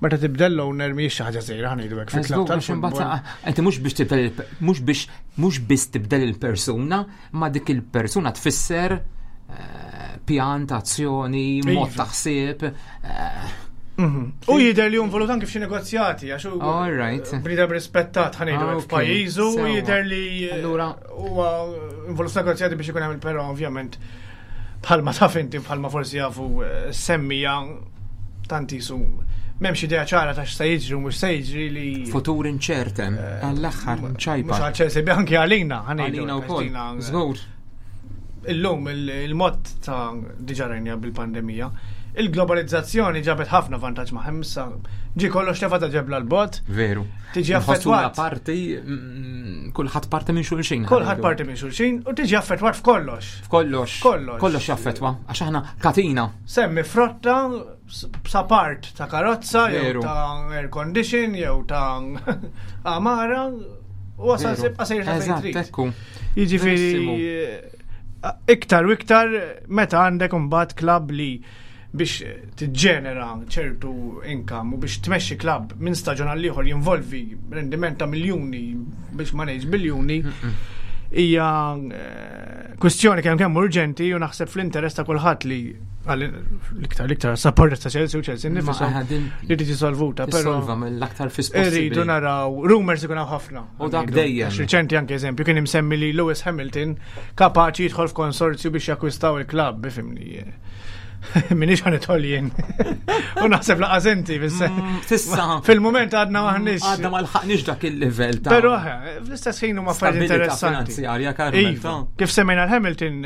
Meta tibdel l-owner mhijiex xi ħaġa żgħira ħa ngħidu hekk fil-klabb Żgur, għax imbagħad, tal-futbol. Inti mhux biex tibdel mhux biex mhux biss tibdel il-persuna, ma dik il-persuna tfisser pjan ta' azzjoni, mod Iva. ta' ħsieb. U jidher li involut anke f'xi negozjati għax hu All right. bniedem rispettat ħa ngħidu Ah, hekk ok. f'pajjiżu u Sewa. jidher li Allura- huwa involut f'negozjati biex ikun hemm il-però ovvjament bħalma taf inti bħalma forsi jafu semmija tant isu m'hemmx idea ċara ta' x'se jiġri u mhux se jiġri li Futur inċertem, għall-aħħar mhux ċajpa. għal Chelsea bi anke għalina ħa ngħidu Għalina hekk, għax wkoll. dina, Żgur. Illum il-mod ta' diġà rajna bil-pandemija, il-globalizzazzjoni ġabet ħafna vantaġġ ma' issa ġi kollox tefa ta' ġebla l-bot, Veru. Tiġi Nħossuna affettwat. parti, kulħadd parti minn xulxin. kulħadd ħa ngħidu. parti minn xulxin u tiġi affettwat f'kollox. F'kollox. Kollox. Kollox jaffettwa, għax aħna katina. Semmi frotta sa part ta' karozza, jew Veru. ta' air condition, jew ta' amara, u wasal Veru. sibqa sejr ta' fejn Eżatt, trid. ekku. Jiġifieri Verissimo. iktar u iktar meta għandek imbagħad klabb li biex tiġġenera ċertu income u biex tmexxi klabb minn staġun għal ieħor jinvolvi rendiment ta' miljuni biex ma ngħidx biljuni hija kwistjoni kemm kemm urġenti u naħseb fl-interess ta' kulħadd li l-iktar l-iktar supporters ta' Chelsea u Chelsea Ma, nifishom din li tiġi solvuta, però Tissolva mill-aktar fis Irridu possibbli. naraw, rumors ikun hawn ħafna. U dak Ngħidu. dejjem. Għax Riċenti anke eżempju kien imsemmi li Lewis Hamilton kapaċi jidħol f'konsorzju biex jakkwistaw il-klabb, ifimni. Minix ħan idħol jien. U naħseb laqas inti Sissa. Fil-moment għadna maħniex. Għadna ma lħaqniex dak il-level ta' Però eh, fl-istess ħin huma affarijiet stabilità interessanti. finanzjarja, Carmel. Iva, ta' kif semmejna l-Hamilton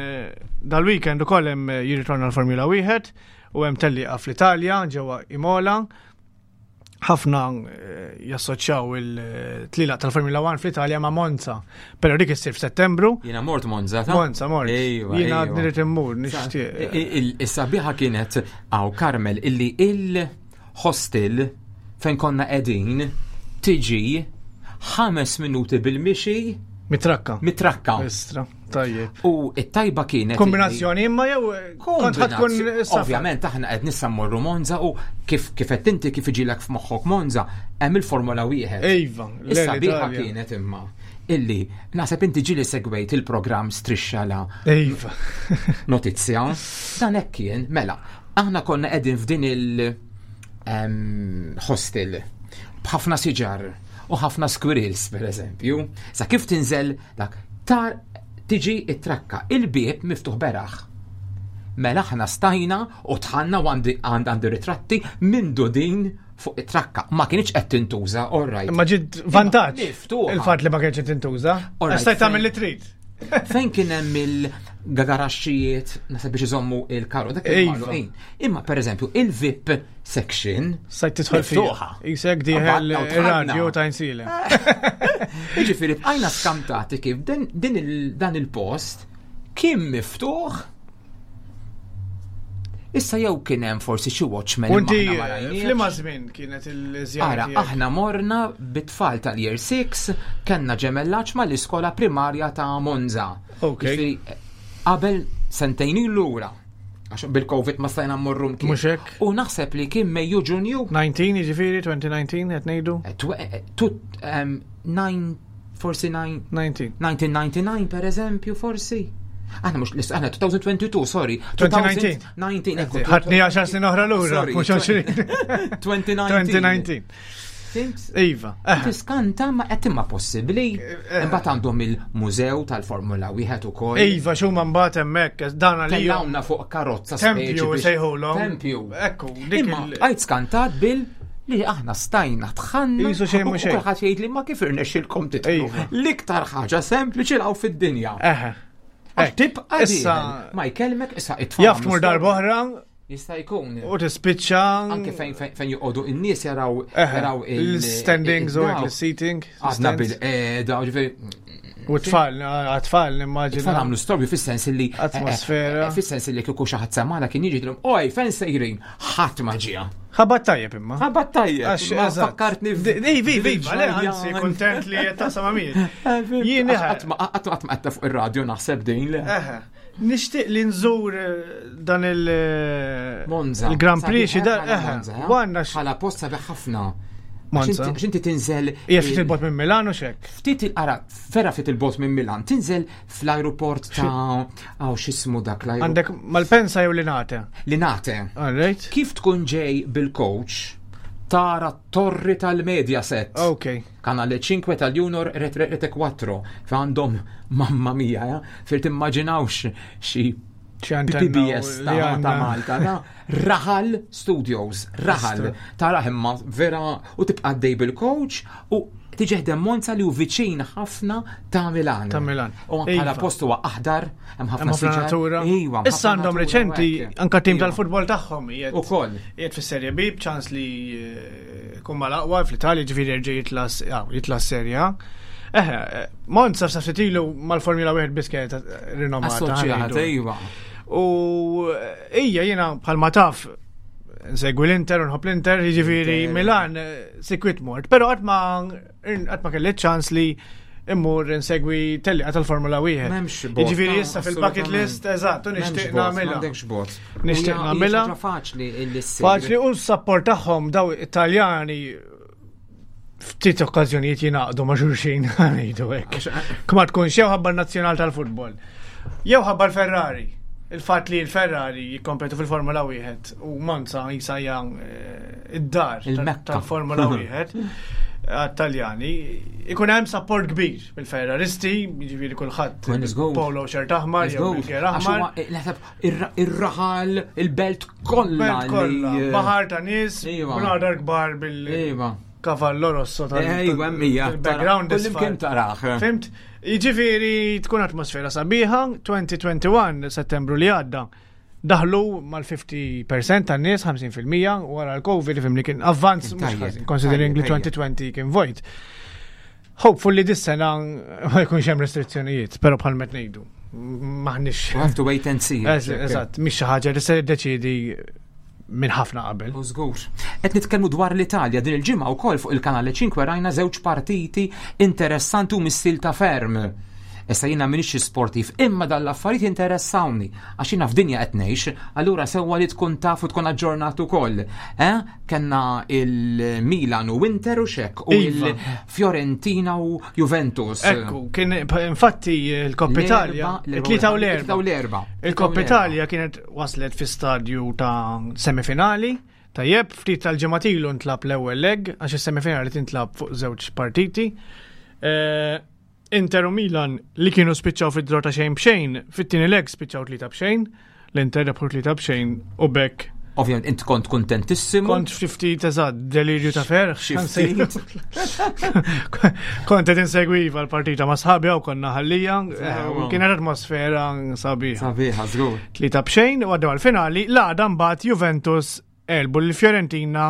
dal-weekend ukoll hemm jirritorna l-Formula 1 u hemm tellieqa fl-Italja ġewwa Imola. Ħafna jassoċjaw il-tlila tal-Formula 1 fl-Italja ma' Monza, però dik issir f'Settembru. Jiena mort Monza, ta' Monza mort. Ejwa, Jiena ejwa. nrid immur nixtieq. Is-sabiħa kienet għaw Carmel illi il-hostel fejn konna qegħdin tiġi 5 minuti bil-mixi Mitrakka. mitrakka. Istra, tajjeb. U it-tajba kienet illi- Kombinazzjoni imma jew kont ħadd tkun Kombinazzjoni. safar. Ovvjament aħna qed nissa mmorru Monza u kif qed inti kif iġilek f'moħħok Monza hemm il-Formula wieħed. Iva, Issa biħa l-Italja. kienet imma illi naħseb inti ġieli segwejt il-programm Strixxa la Iva. notizja. Dan hekk kien, mela, aħna konna qegħdin f'din il hostel b'ħafna siġar u ħafna squirrels per eżempju. Sa kif tinżel dak tar tiġi it-trakka, il-bieb miftuħ beraħ. Mela aħna stajna u tħanna u għandi għandi ritratti minn din fuq it-trakka. Ma kienx qed tintuża, all right. Imma ġid vantaġġ. Miftuħa. Il-fatt li ma kienx qed tintuża. All right, Għax stajt tagħmel fejn- li trid. Fejn kien hemm il-garaxxijiet, naħseb biex iżommu il-karru, dak Iva. il-magħluqin. Imma pereżempju il-VIP section Stajt tidħol fiha. miftuħa. Isek diħel Qabadna u tħadna. ir-radju ta' insile. Jiġifieri bqajna skamtati kif din dan il-post kien miftuħ. Issa jew kien hemm forsi xi watchman U imma inti aħna ma rajniex. f'liema żmien kienet il-żjara Ara, tiegħek? aħna morna bit-tfal tal-Year 6, kellna ġemellaġġ mal-iskola primarja ta' Monza. Ok. Jiġifieri, qabel sentejn lura. Għax bil-Covid ma stajna mmorru mkien. Mhux hekk. U naħseb li kien Mejju Ġunju. 19 jiġifieri 2019 qed ngħidu. Eh, 9 forsi 9 19. 1999 per eżempju, forsi. Aħna mhux l aħna 2022, sorry. 2019. 2019, ekku. Ħadni 10 snin oħra lura, Sorry, mhux 20. 2019. 2019. Fimt? Iva. Eh, Tiskanta ma qed imma possibbli. Imbagħad għandhom il-mużew tal-Formula wieħed ukoll. Iva, xuma mbagħad hemmhekk dan għalija. Tellawna fuq karozza Tempju speċi biex- sejħulhom. Tempju. Ekku, dik Imma il- għajt skantat bil li aħna stajna tħanna. Jisu xejn u mhu xejn. Kulħadd jgħid li ma kif irnexxilkom titlu. Iva. L-iktar ħaġa sempliċi law fid-dinja. Eħe. Għax tibqa' Issa dieħel. Ma jkellmek issa it-tfal. jaf tmur darba oħra Jista' jkun. u tispiċċa. Anke fejn fejn fejn joqogħdu in-nies jaraw Eħe, jaraw il- il-standings u il- hekk, il-seating. Għadna stands. bil-qeda, ġifieri U tfal, għat-tfal nimmaġina. Tfal għamlu storbju fis-sens li. Atmosfera. eh, Fis-sens li kieku xi ħadd semana kien jiġi drum, oj, fejn sejrin, ħadd ma ġie. Ħabat tajjeb imma. Ħabat tajjeb. Għax, Ma eżatt. fakkartni Ej, vi, vi, le, anzi, kontent li qed taqsam għamil. Jien eħe. Qatt ma qatt ma qed fuq ir-radju naħseb din le. Eħe. Nixtieq li nżur dan il- Monza. Il-Grand Prix xi dar. Sabiħ bħala Eħe. Monza, eh? Għandna x- Bħala post sabiħ ħafna. Monza. Għax inti tinżel. Hija ftit il-bot minn Milano xek. Ftit il-qara, vera ftit il-bot minn Milan, tinżel fl-aeroport ta' għaw xismu dak l-aeroport. Għandek Malpensa jew Linate. Linate. All right. Kif tkun ġej bil-coach, tara t-torri tal-Mediaset. Ok. Kanale 5 tal-Junior Rete Rete 4. Għandhom, mamma mia, ja, fir timmaġinawx xi Xi antenna PBS u ta' li ta' għandna. Malta, ta' Raħal Studios, Raħal. Tara imma vera u tibqa' dej bil-coach u tiġi ħdem Monza li hu viċin ħafna ta' Milan. Ta' Milan. U bħala Iva. post huwa aħdar, hemm ħafna Hemm ħafna siġar. natura. Iva, hemm Issa ħafna għandhom natura u reċenti hekk. anka tim Iva. tal-futbol tagħhom qiegħed Ukoll. qiegħed fis-Serie B b'ċans li jkun mal-aqwa fl-Italja ġifieri jerġa' jitla' jitla' Serie A. Eħe, Monza sa ftit ilu mal-Formula 1 biss kienet rinomata. Assoċjata, ħanejdu. iva. U ija jiena bħalma taf nsegwi l-Inter u nħobb l-Inter, jiġifieri Inter. Milan sikwit mort, però qatt ma qatt ma kelli ċans li immur insegwi tellieqa tal-Formula 1. M'hemmx bot. Jiġifieri ta' issa fil-bucket assolutament. list, eżatt, u M'hemmx nixtieq bot, nagħmilha. M'għandekx bot. Nixtieq U hija- hija nagħmilha. ħaġa Faċli illi ssir. Faċli u s-support tagħhom daw Italjani ftit okkażjonijiet jingħaqdu ma' xulxin ngħidu hekk. Kma tkunx jew ħabba n-nazzjonal tal-futbol. Jew ħabba l-Ferrari. Il-fatt li l-Ferrari jikkompetu fil-Formula 1 u Monza jisa hija id-dar Il-Mekka. tal-Formula 1 għat-Taljani ikun hemm support kbir mill-Ferraristi, jiġifieri kulħadd Well, let's go. polo shirt aħmar Let's jew go. bil-gear Għax aħmar. huwa, naħseb, Ir-raħal, il-belt kollha. Belt kollha, li, eh, baħar ta' nies, Iva. bnadar kbar bil Iva. kavallo rosso tal Ejwa, mija. background Kullimkien taraħ. Fimt? Jiġifieri tkun atmosfera sabiħa, 2021 settembru li għadda. Daħlu mal-50% tan-nies, 50% wara l-Covid, fimni kien avvanz mhux Tajjeb, ħażin, considering li tajjeb, 2020 kien vojt. Hopefully dis-sena ma jkunx hemm restrizzjonijiet, però bħal met ngħidu. Maħniex. We have to wait and see. Eżatt, mhix xi ħaġa li se deċidi minn ħafna qabel. U żgur. Qed nitkellmu dwar l-Italja din il-ġimgħa wkoll fuq il-kanale 5 rajna żewġ partiti interessanti u missil ta' ferm. Issa jiena m'iniex xi sportiv, imma dan l-affarijiet interessawni għax jiena f'dinja qed ngħix, allura sewwa li tkun taf u tkun aġġornat ukoll. Eh? Kenna il-Milan u Inter u xek u Iva. il-Fiorentina u Juventus. Ekku, kien infatti il-Coppa Italia, it-tlieta u It-tlieta u l-erba. l-erba. Il-Coppa Italia kienet waslet fi stadju ta' semifinali, tajjeb, ftit tal-ġematilu ntlab l-ewwel leg, għax is-semifinali tintlab fuq żewġ partiti. Eh, Inter u Milan li kienu spiċċaw fid-draw ta' xejn b'xejn, fit-tieni leg spiċċaw tlieta b'xejn, l-Inter rebħu tlieta b'xejn u bekk Ovvjament int kont kontentissimu. Kont ftit eżatt, delirju ta' ferħ. Xi ftit. Kont qed insegwiva l-partita ma' sħabi u konna ħallija. Sewa. eh, Kienet atmosfera sabiħa. Sabiħa, żgur. Tlieta b'xejn u għaddew għal-finali, l-għada mbagħad Juventus elbu l-Fiorentina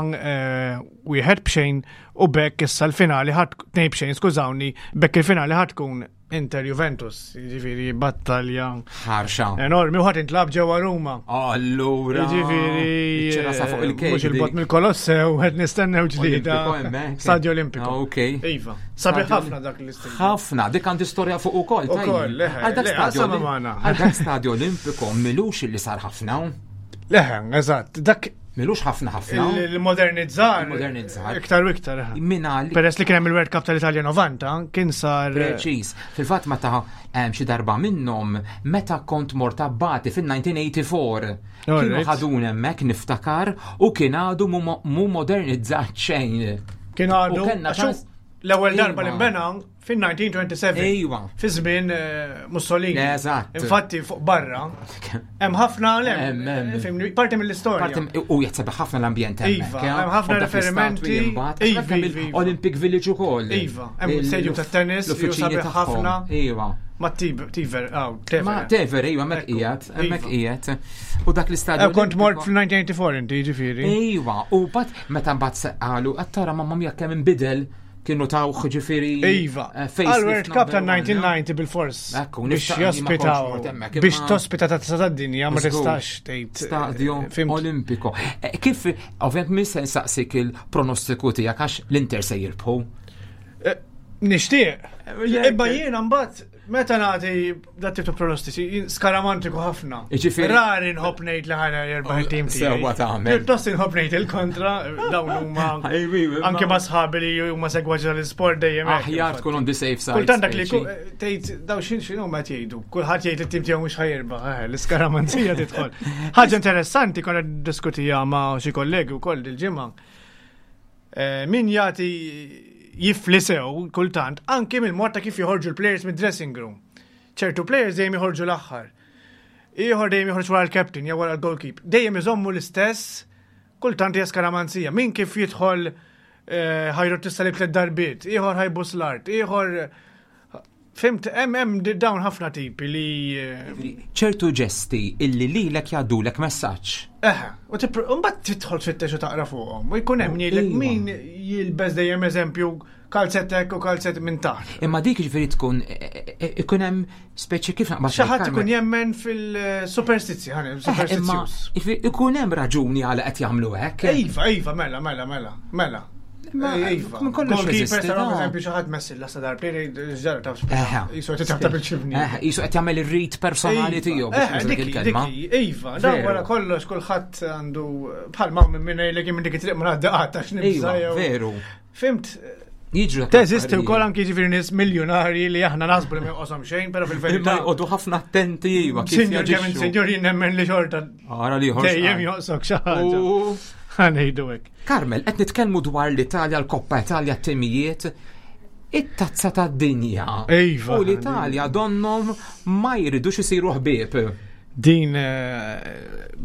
wieħed b'xejn u bekk issa l-finali ħadd tnejn b'xejn, skużawni, bekk il-finali ħadd tkun Inter Juventus, jiġifieri battalja Ħarxa. enormi u ħadd intlab ġewwa Ruma. Allura. Jiġifieri Iċ-ċerasa fuq il-kejk. Mhux il-bot mill-Kolossew qed nistennew ġdida. Olimpico hemmhekk. Stadio Olimpico. Ah, Ok. Iva. Sabiħ Stadio ħafna dak l-istil. Ħafna, dik għandi storja fuq ukoll. Ukoll, tajjeb. leħe, Għal dak le, stadio qasama Olim- magħna. Għal dak stadio Olimpico milux li sar ħafna. Leħen, eżatt. Dak Milux ħafna ħafna. Il-modernizzar. Il-modernizzar. Iktar u iktar. Minna li. Peress li kien hemm il-World Cup tal-Italja 90, kien sar. Preċiż. Fil-fatt meta xi darba minnhom meta kont mort abbati fil-1984. Kienu ħadun hemmhekk niftakar u kien għadu mu modernizzat xejn. Kien għadu. L-ewwel darba li nbena fin-1927. Ejwa. Fi żmien eh, Mussolini. Eżatt. Infatti fuq barra hemm ħafna fimni, parti mill-istorja. U jaħseb ħafna l-ambjent hemmhekk. Iva, hemm ħafna riferimenti. Iva, iva, iva. Olympic Village ukoll. Iva, hemm stadium tat-tennis, l-uffiċini ħafna. Iva. Ma Tiver, aw, Tever. Ma Tever, iva, mek qiegħed, hemmhekk qiegħed. U dak l-istadju. Eh, kont mort fl-1984 inti, ġifieri. Iva, u bat meta mbagħad qalu qed tara mamma mia kemm inbidel kienu tawh ġifieri. Iva. Eh, Għal-World Cup ta' 1990 bil-fors. Biex jospitaw. Biex tospita ta' tazza tad-dinja ma tistax tgħid. Eh, Stadju Olimpiko. Kif, ovvjament, minn se nsaqsik il-pronostiku tiegħek għax l-Inter se jirbħu? Nixtieq. Imma jiena mbagħad meta nagħti dat tip ta' pronostiċi skaramantiku ħafna. Jiġifieri- Rari nħobb ngħid li ħana jirbaħ it-tim tiegħi. Sewwa tagħmel. Pjuttost inħobb ngħid il-kontra dawn huma anke ma' sħabi li huma segwaġi tal-isport dejjem. hekk, Aħjar infatti. tkun on the safe side. Kultant dak li speċi. tgħid daw xin xinu ma jgħidu. Kulħadd jgħid it-tim tiegħu mhux ħajirbaħ, eh, l-iskaramanzija tidħol. Ħaġa interessanti konna diskutija ma' xi kollegi wkoll dil-ġimgħa. Eh, min jagħti jifli sew kultant anke mill-mod ta' kif joħorġu l-players mid-dressing room. ċertu players dejjem joħorġu l-aħħar. Ieħor dejjem joħorġ wara l-captain jew wara l-goalkeeper. Dejjem iżommu l-istess kultant hija skaramanzija. Min kif jidħol eh, ħajru tista' li tliet darbiet, ieħor ħajbus l-art, ieħor Fimt, hemm hemm dawn ħafna tipi li eh, ċertu ġesti illi lilek jgħaddulek messaġġ. Eħe, u mbagħad tidħol tfittex u taqra fuqhom. U jkun hemm jgħidlek Iva. min jilbes dejjem eżempju kalzettek u kalzett minn taħt. Imma dik ġifieri tkun e, e, ikun hemm speċi kif naqbad. Xi ħadd ikun jemmen fil-superstizzi, ħa Eh, Imma superstizzjuż. jiġifieri ikun hemm raġuni għala qed jagħmlu hekk. Iva, iva, mela, mela, mela, mela. Ma- Iva. minn kollox Goalkeeper jeżisti, taraw no. eżempju xi ħadd messil la sadar player ġara taf. Eħe. Jisu qed tafta bil-ċibni. Eh, Jisu qed jagħmel ir-rit personali tiegħu biex Eh, nuża dik dikki, il-kelma. dikki, Iva, dan Veru. wara kollox kulħadd għandu bħal ma minn minn jgħidlek minn dik it-triq ma ngħaddi qatt għax nibża' Iva, jew. veru. Fimt, Jiġru dak Teżisti l-affarijiet. wkoll anki ġifieri nies miljonarji li aħna naħsbu li ma joqoshom xejn, però Imma fil-verità. jqogħdu ħafna attenti iva kif Sinjur kemm jaġixxu. sinjur jien nemmen li xorta Ara li ieħor dejjem x'qal. joqsok xi ħaġa. U- Ħanejdu hekk. Carmel, qed nitkellmu dwar l-Italja, l-Koppa Italja, t-timijiet, it-tazza tad-dinja. Iva. U l-Italja donnom ma jridux isiru ħbieb. Din eh,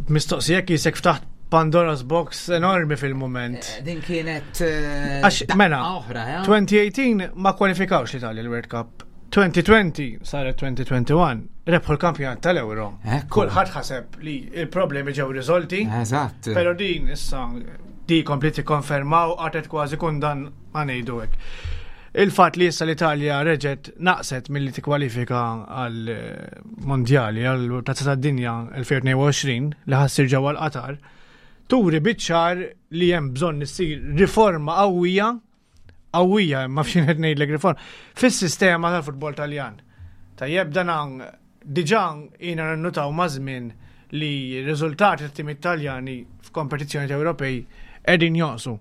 mistoqsija jisek ftaħt Pandora's Box enormi fil-moment. Din kienet eh, Għax, daqqa mela, oħra, eh? 2018 ma kwalifikawx l-Italja l-World Cup. 2020 saret 2021 rebħu l-kampjonat tal-Euro. Ekku. Kulħadd ħaseb li il-problemi ġew riżolti. Eżatt. Pero din issa di kompli tikkonfermaw għatet kważi kundan ma ngħidu hekk. Il-fatt li issa l-Italja reġgħet naqset milli tikkwalifika għal eh, mondjali għal Tazza tad-Dinja 2022 li ħassir ġewwa l-Qatar, turi biċ-ċar li hemm bżonn issir riforma qawwija qawwija ma fxin qed ngħidlek riforma fis-sistema tal-futbol Taljan. Tajjeb dan hawn diġà jiena nannutaw ma' żmien li r-riżultati tat-tim Italjani f'kompetizzjoni Ewropej qegħdin jonqsu.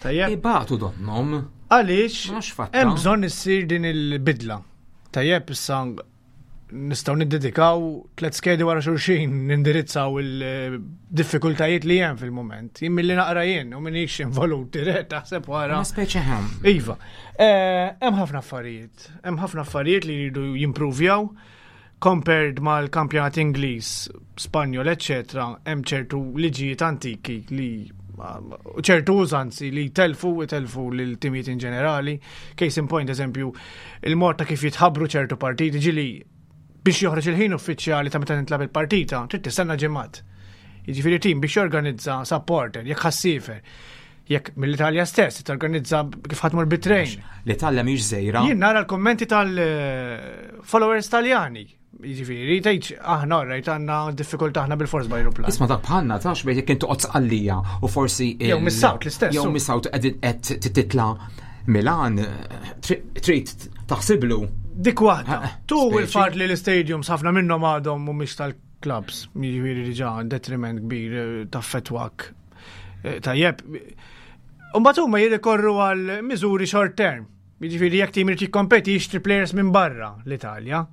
Tajjeb, Ibatu donnom. għaliex Ma nafx fatta. hemm bżonn issir din il-bidla. Tajjeb issa nistgħu niddedikaw tliet skedi wara xulxin nindirizzaw il-diffikultajiet li hemm fil-mument. Jien milli naqra jien u minix involut dirett taħseb wara. Ma speċi ħem. Iva, eh, hemm ħafna affarijiet, hemm ħafna affarijiet li jridu jimpruvjaw compared mal-kampjonat Ingliż, Spanjol, eccetera, hemm ċertu liġijiet antiki li u ċertu użanzi li telfu telfu lil timijiet in ġenerali. Case in point, eżempju, il-mod ta' kif jitħabbru ċertu partiti ġili biex joħroġ il-ħin uffiċjali ta' meta tintlab il-partita, trid tistenna ġimgħat. Jiġifieri tim biex jorganizza supporter, jekk ħassifer, jekk mill-Italja stess torganizza kif ħatmur bit-trejn. L-Italja mhix żejra. Jien nara l-kommenti tal-followers taljani. Jiġifieri, tgħidx aħna rajt għandna diffikultà aħna bil-fors b'ajruplan. Isma dak bħalna tax bejt jekk inti toqgħod sqallija u forsi Jew mis-South l-istess, Jew u. mis-South qed titla Milan trid taħsiblu. Dik waħda. Eh, Tu speċi. il-fat li l-stadiums ħafna minnhom għadhom mhumiex tal clubs, jiġifieri diġà detriment kbir eh, taffettwak. Eh, tajjeb. Imbagħad huma jirrikorru għal miżuri short term. Jiġifieri jekk tim irid jikkompeti jixtri players minn barra l-Italja.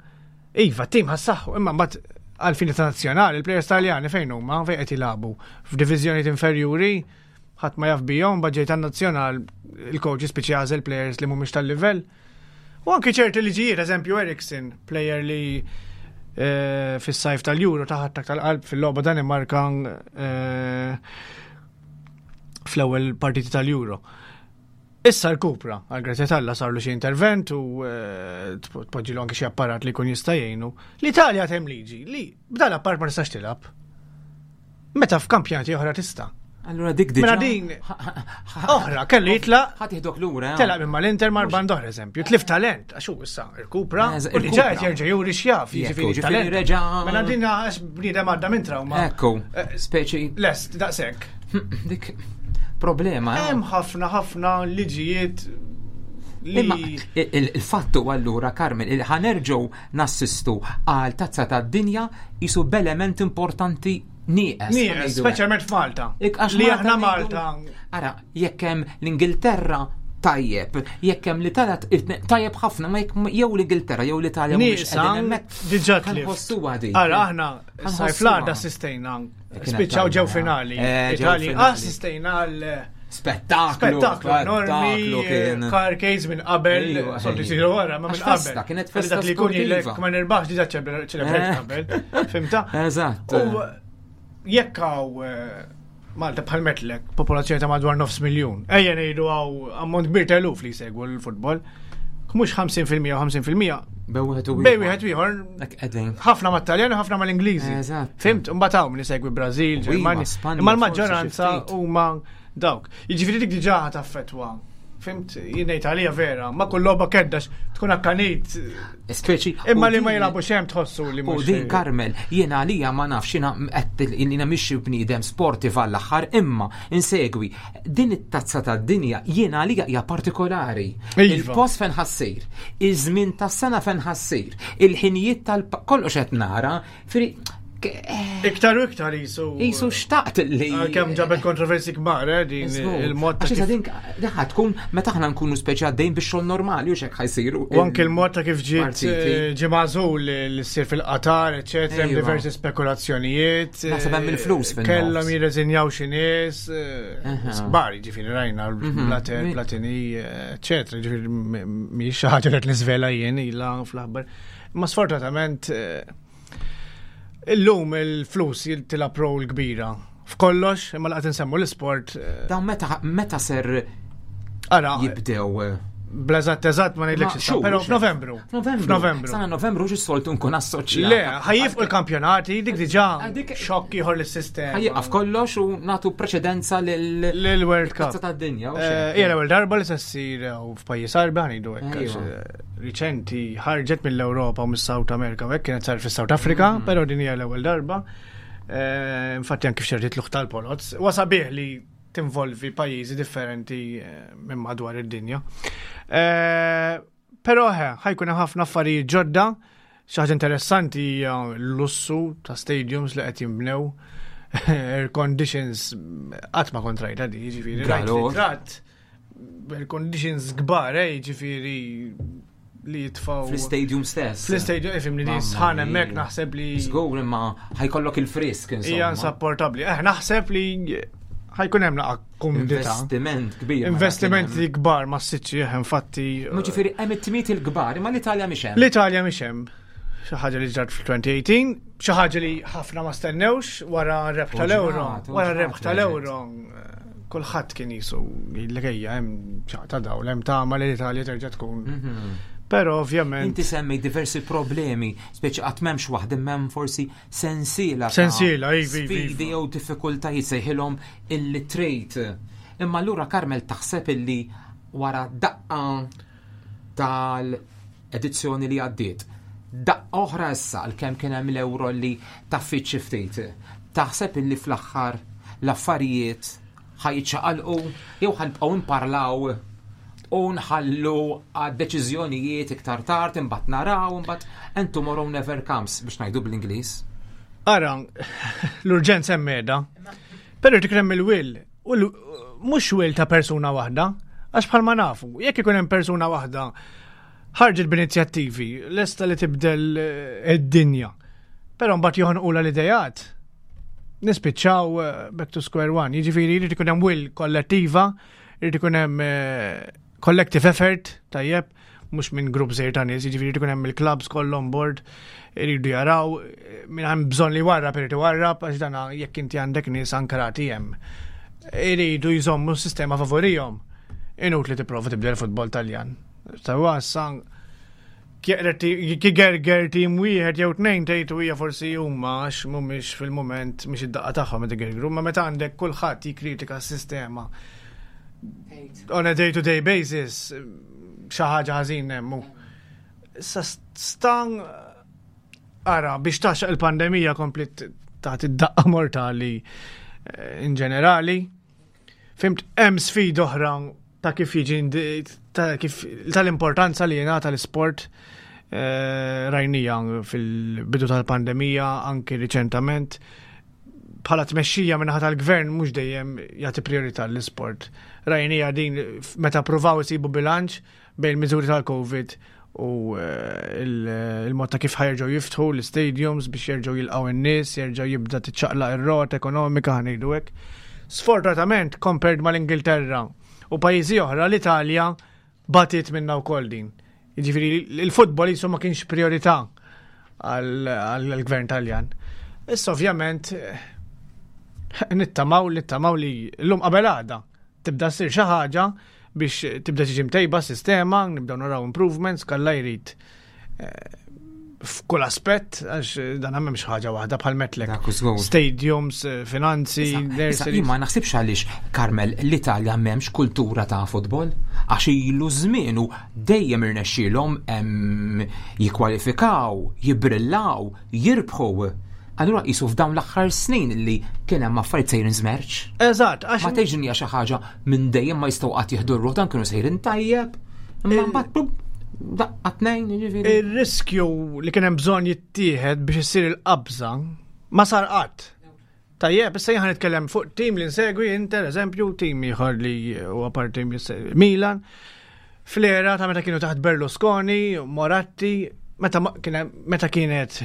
Iva, tim ħassaħħu, imma mbagħad għal fini ta' nazzjonali, il-players Taljani fejn huma, fejn qed jilagħbu f'diviżjonijiet inferjuri, ħadd ma jaf bihom, mbagħad ġej tan-nazzjonal il-coach jispiċċa jagħżel players li mhumiex tal-livell. U anki ċerti liġijiet, eżempju Eriksen, player li eh, fis-sajf tal-Euro taħat tal-qalb fil-logħba Danimarka eh, fl-ewwel partiti tal-Euro. Issa rkupra, għal grazzja t'Alla sarlu xi intervent u eh, tpoġġilu anke xi apparat li jkun jista' jgħinu. L-Italja hemm liġi li b'dan apparat ma tistax tilgħab. Meta f'kampjonati oħra tista'. Allura dik diġà. Mela din oħra kellu jitlaq. Ħadd jieħdok lura. Eh? Telaq minn mal-Inter mar band oħra eżempju. Tlif talent għax hu issa rkupra u diġà qed jerġa' juri x'jaf, jiġifieri talent. Mela din għax bniedem għadda minn trauma. Ekku, eh, speċi. Lest, daqshekk. Dik problema. Eh? Hemm ħafna ħafna liġijiet Imma il-fattu allura Carmen, ħanerġgħu nassistu għal tazza tad-dinja jisu b'element importanti nieqes. Nieqes, speċjalment f'Malta. Li aħna Malta. Ara, jekk hemm l-Ingilterra tajjeb, jekk hemm l-Italja tajjeb ħafna, ma jekk jew l-Ingilterra jew l-Italja mhumiex qegħdin hemmhekk. Diġà ħossuha din. Ara aħna sajf l-għada assistejna Spiċċaw ġew finali. Eh, Itali assistejna għal Spettaklu. Spettaklu enormi. Eh, carcades minn qabel, soltu jsiru wara, ma minn qabel. Kienet festa li kun jilek ma nirbaħx diġà ċelebrajt eh. qabel. Fimta? Eżatt. U jekk hawn Malta bħal metlek, popolazzjoni ta' madwar nofs miljun. Ejja ngħidu hawn ammont kbir ta' eluf li jsegwu l-futbol. Mhux 50% u 50%. Bej wieħed u Bej wieħed ieħor. Ħafna mat-Taljan u ħafna mal-Ingliżi. Eżatt. Fimt, imbagħad hawn min isegwi Brażil, Ġermanja. Imma l-maġġoranza huma dawk. Jiġifieri dik diġà taffettwa. Fimt, jien ngħid għalija vera, ma kull logħba keddax tkun akkanit. Speċi. Imma li ma jilagħbu xem tħossu li mhux. U din Karmel, jiena għalija ma nafx jiena qed jiena mhix bniedem sportiv għall-aħħar imma insegwi din it-tazza tad-dinja jiena għalija hija partikolari. Iva. Il-post fejn ħassir, iż-żmien tas-sena fejn ħassir, il-ħinijiet tal kollox qed nara, Fri, Iktar u iktar jisu. Jisu xtaqt li. Kemm ġabet kontroversi kbar, eh, din il-mod ta' kif. Din daħ tkun meta aħna nkunu speċi għaddejn biex xogħol normali u xek ħajsiru. U anke il-mod ta' kif ġiet eh, ġie magħżul li ssir fil-Qatar, eċetera, hemm diversi spekulazzjonijiet. Naħseb hemm il-flus fin Kellhom jirreżinjaw xi nies, eh, kbar, jiġifieri rajna mhm. Blatter, Platini, eċetera, jiġifieri mhijiex xi ħaġa li qed niżvela jien ilha fl-aħbar. Ma sfortunatament eh, illum il-flus tilab rol kbira f'kollox, imma laqgħet insemmu l-isport. Eh, Dawn meta meta ser Ara, jibdew eh, Blażat eżatt ma ngħidlekx issa, però f'Novembru. F'Novembru. Sena Novembru xi soltu nkun assoċjat. Le, ħajjifqu l-kampjonati, dik diġà xokk ieħor lis-sistema. Ħajjaqaf kollox u nagħtu preċedenza lil World Cup. tad-dinja. Hija l-ewwel darba li se ssir f'pajjiż Arbi ħanidu hekk. Riċenti ħarġet mill-Ewropa u mis-South America u hekk kienet sar fis-South Africa, però din hija l-ewwel darba. Eh, infatti anke f'xertiet luħ tal-poloz. Wasabiħ li tinvolvi pajjiżi differenti eh, minn madwar id-dinja. Eh, però ħajkun hemm ħafna affarijiet ġodda. Xi ħaġa interessanti hija l-lussu ta' stadiums li qed jinbnew. Air conditions qatt ma kont rajta di, jiġifieri rajt ritratt air conditions kbar, eh, jiġifieri li jitfaw. Fl-stadium stess. Fl-stadium, ifim li sħan hemmhekk naħseb li. Żgur imma ħajkollok il-frisk insomma. Hija insapportabbli. Eh, naħseb li ħajkun hemm naqa' kumdità. Investiment kbir. Investimenti kbar ma s-sitx eh, infatti. Ma ġifieri hemm it-tmiet il-kbar, imma l-Italja mhix hemm. L-Italja mhix hemm. Xi ħaġa li ġrat fl-2018, xi ħaġa li ħafna ma stennewx wara r-rebħ tal-Euro. Wara r-rebħ tal-Euro kulħadd kien jisu jgħidlek ejja hemm ċaqta dawl hemm tama li l-Italja terġa' tkun. Mhm. Però ovvjament. Inti semmi diversi problemi, speċi qatt m'hemmx waħda m'hemm forsi sensiela. Sensiela, ivi. Sfidi iva. jew diffikultajiet sejħilhom il-trade. Imma allura Karmel taħseb illi wara daqqa tal-edizzjoni li għaddiet, daqqa oħra issa għalkemm kien hemm l-euro li taffiet xi ftit, taħseb illi fl-aħħar l-affarijiet ħa jiċċaqalqu jew ħa nibqgħu nparlaw u nħallu għad-deċiżjonijiet iktar tard imbagħad naraw imbagħad and tomorrow never comes biex ngħidu bl-Ingliż. Ara, l-urġenza hemm qiegħda. Però jrid ikun hemm il-will. U mhux will ta' persuna waħda, għax bħalma nafu, jekk ikun hemm persuna waħda ħarġet b'inizjattivi, lesta li tibdel eh, id-dinja. Però mbagħad joħonqula l-idejat. Nispiċċaw eh, back to square one. Jiġifieri jrid ikun hemm will kollettiva, jrid ikun hemm eh, collective effort, tajjeb, mhux minn grupp żgħir ta' nies, jiġifieri jrid ikun hemm il-clubs kollha on board, iridu jaraw minn hemm bżonn li warrab irid iwarrab għax dan jekk inti għandek nies ankrati hemm. Iridu jżommu s-sistema favorihom. Inutli tipprova tibdel futbol Taljan. Sewwa issa kigerger tim wieħed jew tnejn tgħid hija forsi huma għax mhumiex fil-mument mhix id-daqqa tagħhom qed igergru, ma meta għandek kulħadd jikkritika s-sistema on a day-to-day basis xi ħaġa ħażin hemm. Issa stan ara biex taxaq il-pandemija komplet taħt id-daqqa mortali eh, in ġenerali. Fimt hemm sfida oħra ta' kif jiġi ta' kif tal-importanza li jingħata l-isport eh, rajnija fil-bidu tal-pandemija anki riċentament bħala tmexxija minnaħa tal-gvern mhux dejjem jagħti priorità l-isport. Rajnija din meta pruvaw isibu bilanċ bejn miżuri tal-Covid u eh, il-mod ta' kif ħajerġgħu jiftħu l-stadiums biex jerġgħu jilqgħu n-nies, jerġgħu jibda tiċċaqlaq ir-rot ekonomika ħanejdu hekk. Sfortunatament, compared mal-Ingilterra u pajjiżi oħra, l-Italja batiet minna wkoll din. Jiġifieri il-futbol jisu ma kienx priorità għall-gvern Taljan. Issa ovvjament nittamaw nittamaw li l-lum qabel għada tibda ssir xi ħaġa biex tibda tiġi mtejba sistema, nibdew naraw improvements, kalla jrid eh, f'kull aspett, għax dan m'hemmx ħaġa waħda bħal metlek. Stadiums, eh, finanzi, nurseries. Ma naħsibx għaliex, Carmel, l-Italja m'hemmx kultura ta' futbol, għax ilu żmien u dejjem irnexxielhom jikkwalifikaw, jibrillaw, jirbħu. Allura qisu f'dawn l-aħħar snin li kien hemm affarijiet sejrin żmerċ. Eżatt, għax ma tgħidx hija xi ħaġa minn dejjem ma jistgħu qatt jieħdu r-ruħ dan kienu sejrin tajjeb. Imma mbagħad daqqa tnejn jiġifieri. Ir-riskju li kien hemm bżonn jittieħed biex issir il-qabża ma sar qatt. Tajjeb, issa jien nitkellem fuq tim li nsegwi Inter, eżempju, tim ieħor li huwa parti Milan. Fl-era ta' meta kienu taħt Berlusconi, Moratti, meta meta kienet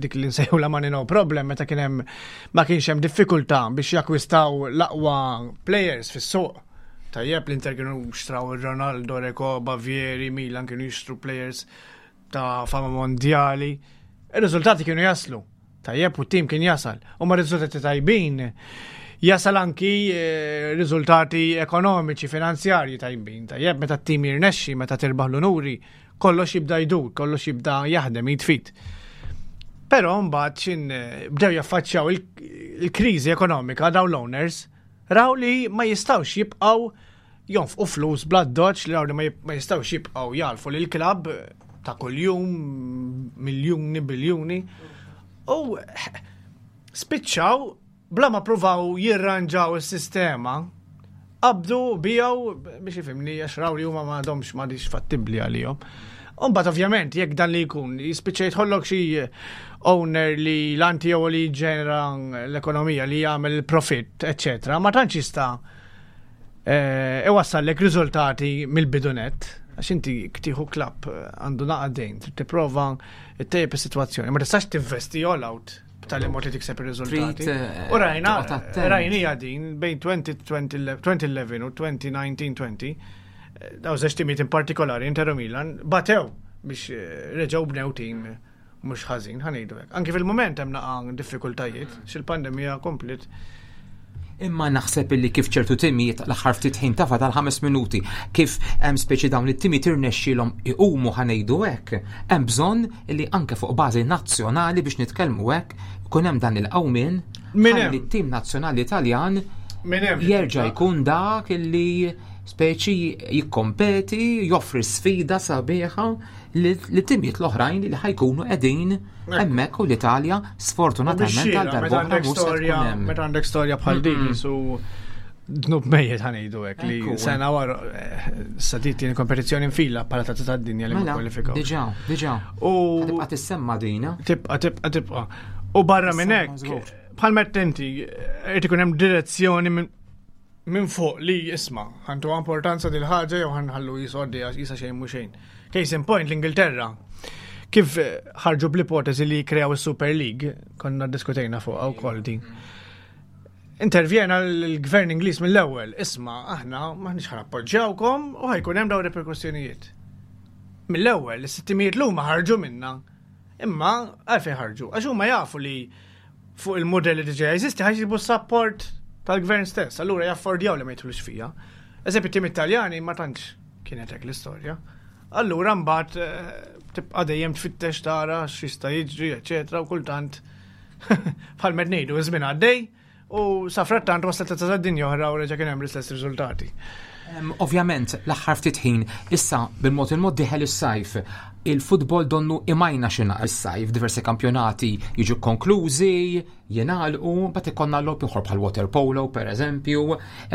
dik li nsejħu la money no problem, meta kien hemm ma kienx hemm diffikultà biex jakwistaw l-aqwa players fis-suq. Tajjeb l-Inter kienu xtraw Ronaldo, Recoba, Vieri, Milan kienu jixtru players ta' fama mondjali. Ir-riżultati kienu jaslu. Tajjeb u t-tim kien jasal. U ma' riżultati tajbin jasal anki eh, riżultati ekonomiċi, finanzjarji tajbin. Tajjeb meta t-tim jirnexxi, meta tirbaħ l-unuri, kollox jibda jdur, kollox jibda jaħdem jitfit. Però mbagħad xin eh, bdew jaffaċċjaw il-kriżi ekonomika dawn l-owners, raw li ma jistgħux jibqgħu jonfqu flus bla doċ li raw li ma jistgħux jibqgħu jalfu lil klabb ta' kuljum miljuni, biljuni. U spiċċaw bla ma pruvaw jirranġaw is-sistema qabdu bijaw biex ifimni għax raw li huma ma għadhomx m'għadix fattibbli għalihom. Umbagħad ovvjament jekk dan li jkun jispiċċa jidħollok xi owner li l-anti jew li ġenera l-ekonomija li jagħmel il-profitt, eċċetera, ma tantx jista' eh, iwassallek riżultati mill-bidunet għax inti ktieħu klabb eh, għandu naqadejn, trid tipprova ttejjeb is-sitwazzjoni, ma tistax tinvesti all out b'tali mod li tikseb ir-riżultati. Eh, u rajna, rajnija din bejn 2011 u 2019-20, daw żewġ timijiet in partikolari, Inter u Milan, batew biex reġgħu bnew tim mhux ħażin, ħa ngħidu hekk. Anki fil-mument hemm naqa' diffikultajiet, xil-pandemija komplet. Imma naħseb illi kif ċertu timijiet l-aħħar ftit ħin tafa tal-ħames minuti, kif hemm speċi dawn it-timijiet irnexxielhom iqumu ħa ngħidu hekk, hemm bżonn li anke fuq bażi nazzjonali biex nitkellmu hekk, ikun hemm dan il-qawmien ħalli t-tim nazzjonali Taljan jerġa' jkun dak illi speċi jikkompeti, joffri sfida sabiħa li timijiet l-oħrajn li ħajkunu qegħdin hemmhekk u l-Italja sfortunatament għal darba mhux se tkun hemm. Meta għandek storja bħal din su. Dnub mejjet ħanejdu hekk li sena wara eh, sa tieni kompetizzjoni nfila bħala tazza tad-dinja li ma mela, kwalifikaw. Diġà, diġà. U tibqa' tissemma dina. Tibqa' tibqa' tibqa'. U barra minn hekk, bħal meta inti irid ikun hemm direzzjoni minn fuq li isma' ħantu importanza dil ħaġa jew ħanħallu jisoddi għax jisa xejn mhu xejn. Case in point l-Ingilterra. Kif ħarġu bl-ipotezi li kreaw is-Super League, konna diskutejna fuq wkoll din. Intervjena l-gvern Ingliż mill-ewwel, isma' aħna m'aħniex ħa nappoġġjawkom u ħajkun hemm dawn reperkussjonijiet. Mill-ewwel, is-sittimijiet l-huma ħarġu minna. Imma għalfejn ħarġu? Għax huma jafu li fuq il-modell li diġà jeżisti ħajġibu support tal-gvern stess, allura jaffordjaw li ma jidħlux fija. Eżempju, tim Italjani ma tantx kienet hekk l-istorja. Allura mbagħad eh, tibqa' dejjem tfittex tara x'jista' jiġri, eċetera, u kultant Bħal med ngħidu, iż-żmien għaddej u sa frattant waslet ta' dinja oħra u reġa' kien hemm l-istess riżultati. Ovvjament, l-aħħar ftit ħin, issa bil-mod il-mod diħel is-sajf, il-futbol donnu imajna xina is-sajf, diversi kampjonati jiġu konklużi, jingħalqu, mbagħad ikollna logħob ieħor bħal water polo pereżempju,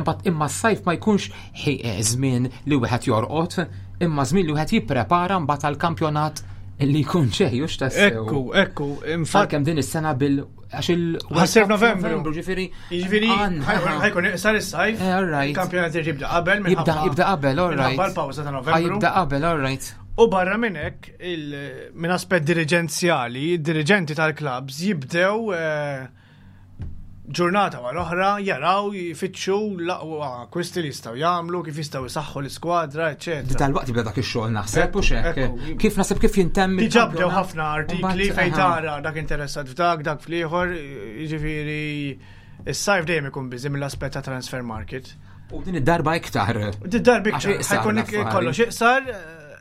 imbagħad imma s-sajf ma jkunx eh, żmien li wieħed jorqod, imma żmien li wieħed jipprepara mbagħad għall-kampjonat li jkun ġej, hux tassew. Ekku, ekku, infatti. Kemm din is-sena bil għax il Ħassir Novembru. Ġifieri. Jiġifieri ħajkun iqsar is-sajf. Eh, all right. Il-kampjonat jibda qabel Jibda jibda qabel, all right. Minħabba l-pawża ta' Novembru. Jibda qabel, all right. U barra minn hekk, minn aspett diriġenzjali, id-diriġenti tal-klabs jibdew eh, ġurnata wara oħra jaraw jfittxu l-aqwa akkwisti li jistgħu jagħmlu, kif jistgħu jsaħħu l-iskwadra, eċetera. Dal-waqt jibda dak ix-xogħol naħseb u xek. Kif naħseb kif jintemm. Diġà bdew ħafna artikli fejn tara dak interessat f'dak, dak fl-ieħor, jiġifieri is-sajf dejjem ikun biżi mill-aspett ta' transfer market. U din id-darba iktar. Din id-darba iktar. Ħajkun kollox iqsar,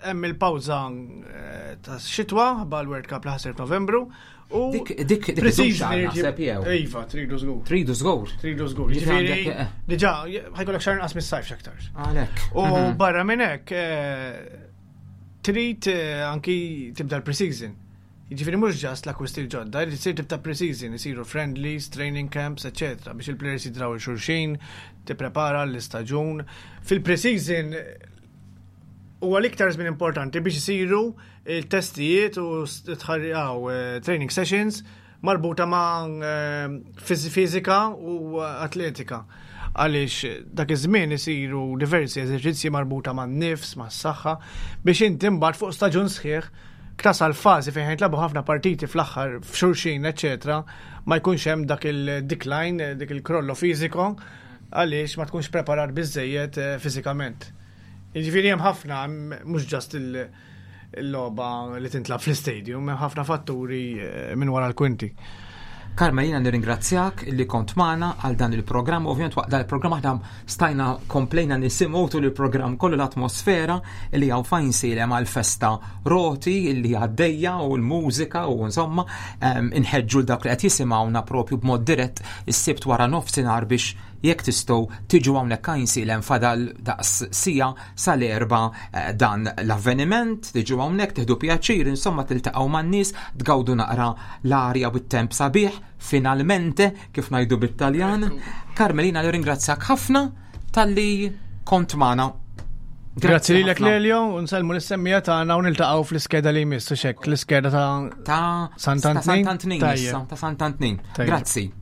hemm il-pawża eh, ta' xitwa bħal World Cup li ħasir f'Novembru. U dik dik dik naħseb jew. Iva, tridu żgur. Tridu żgur. Tridu żgur. Jiġifieri eh. diġà ħajkollok xahar inqas mis-sajf x'aktar. Għalhekk. U mhm. barra minn hekk eh, trid eh, anki tibda l-preseason. Jiġifieri mhux ġast l-akkwisti l-ġodda, jrid isir tibda preseason, isiru friendlies, training camps, eċetera, biex il-players jidraw il-xulxin, tipprepara l-istaġun. Fil-preseason huwa l-iktar żmien importanti biex isiru il-testijiet u tħarriqaw eh, training sessions marbuta ma' eh, fiżika u atletika. Għaliex dak iż-żmien isiru diversi eżerċizzji marbuta ma' nifs, ma' saħħa, biex inti mbagħad fuq staġun sħiħ tasal fażi fejn jitlabu ħafna partiti fl-aħħar f'xulxin, eċetera, ma jkunx hemm dak il-decline, dik il-krollo fiżiko, għaliex ma tkunx preparat biżejjed eh, fiżikament. Jiġifieri hemm ħafna, mhux ġast il-logħba li tintlab fl-istadium, hemm ħafna fatturi eh, minn wara l-kwinti. Karma jina nirringrazzjak li kont magħna għal dan il-programm. Ovvjament waqt dan il-programm aħna stajna komplejna nisimgħu tul il-programm kollu l-atmosfera li hawn fajn silem għal festa roti li għaddejja u l-mużika u insomma inħeġġu l dawk li qed jisimgħuna propju b'mod dirett is-sibt wara nofsinhar biex Jekk tistgħu tiġu hawnhekk Għajnsielem fadal daqs siegħa sal-erba eh, dan l-avveniment, tiġu hawnhekk tieħdu pjaċir, insomma tiltaqgħu man-nies, tgawdu naqra l-arja u t-temp sabiħ, finalmente kif ngħidu bit-Taljan. Carmelina nirringrazzjak ħafna talli kont magħna. Grazzi lilek Lelio, u nsellmu l-semmija tagħna u niltaqgħu fl-iskeda li jmiss u xek, l-iskeda ta' ta' Sant'Antnin. Ta' Sant'Antnin. Grazzi.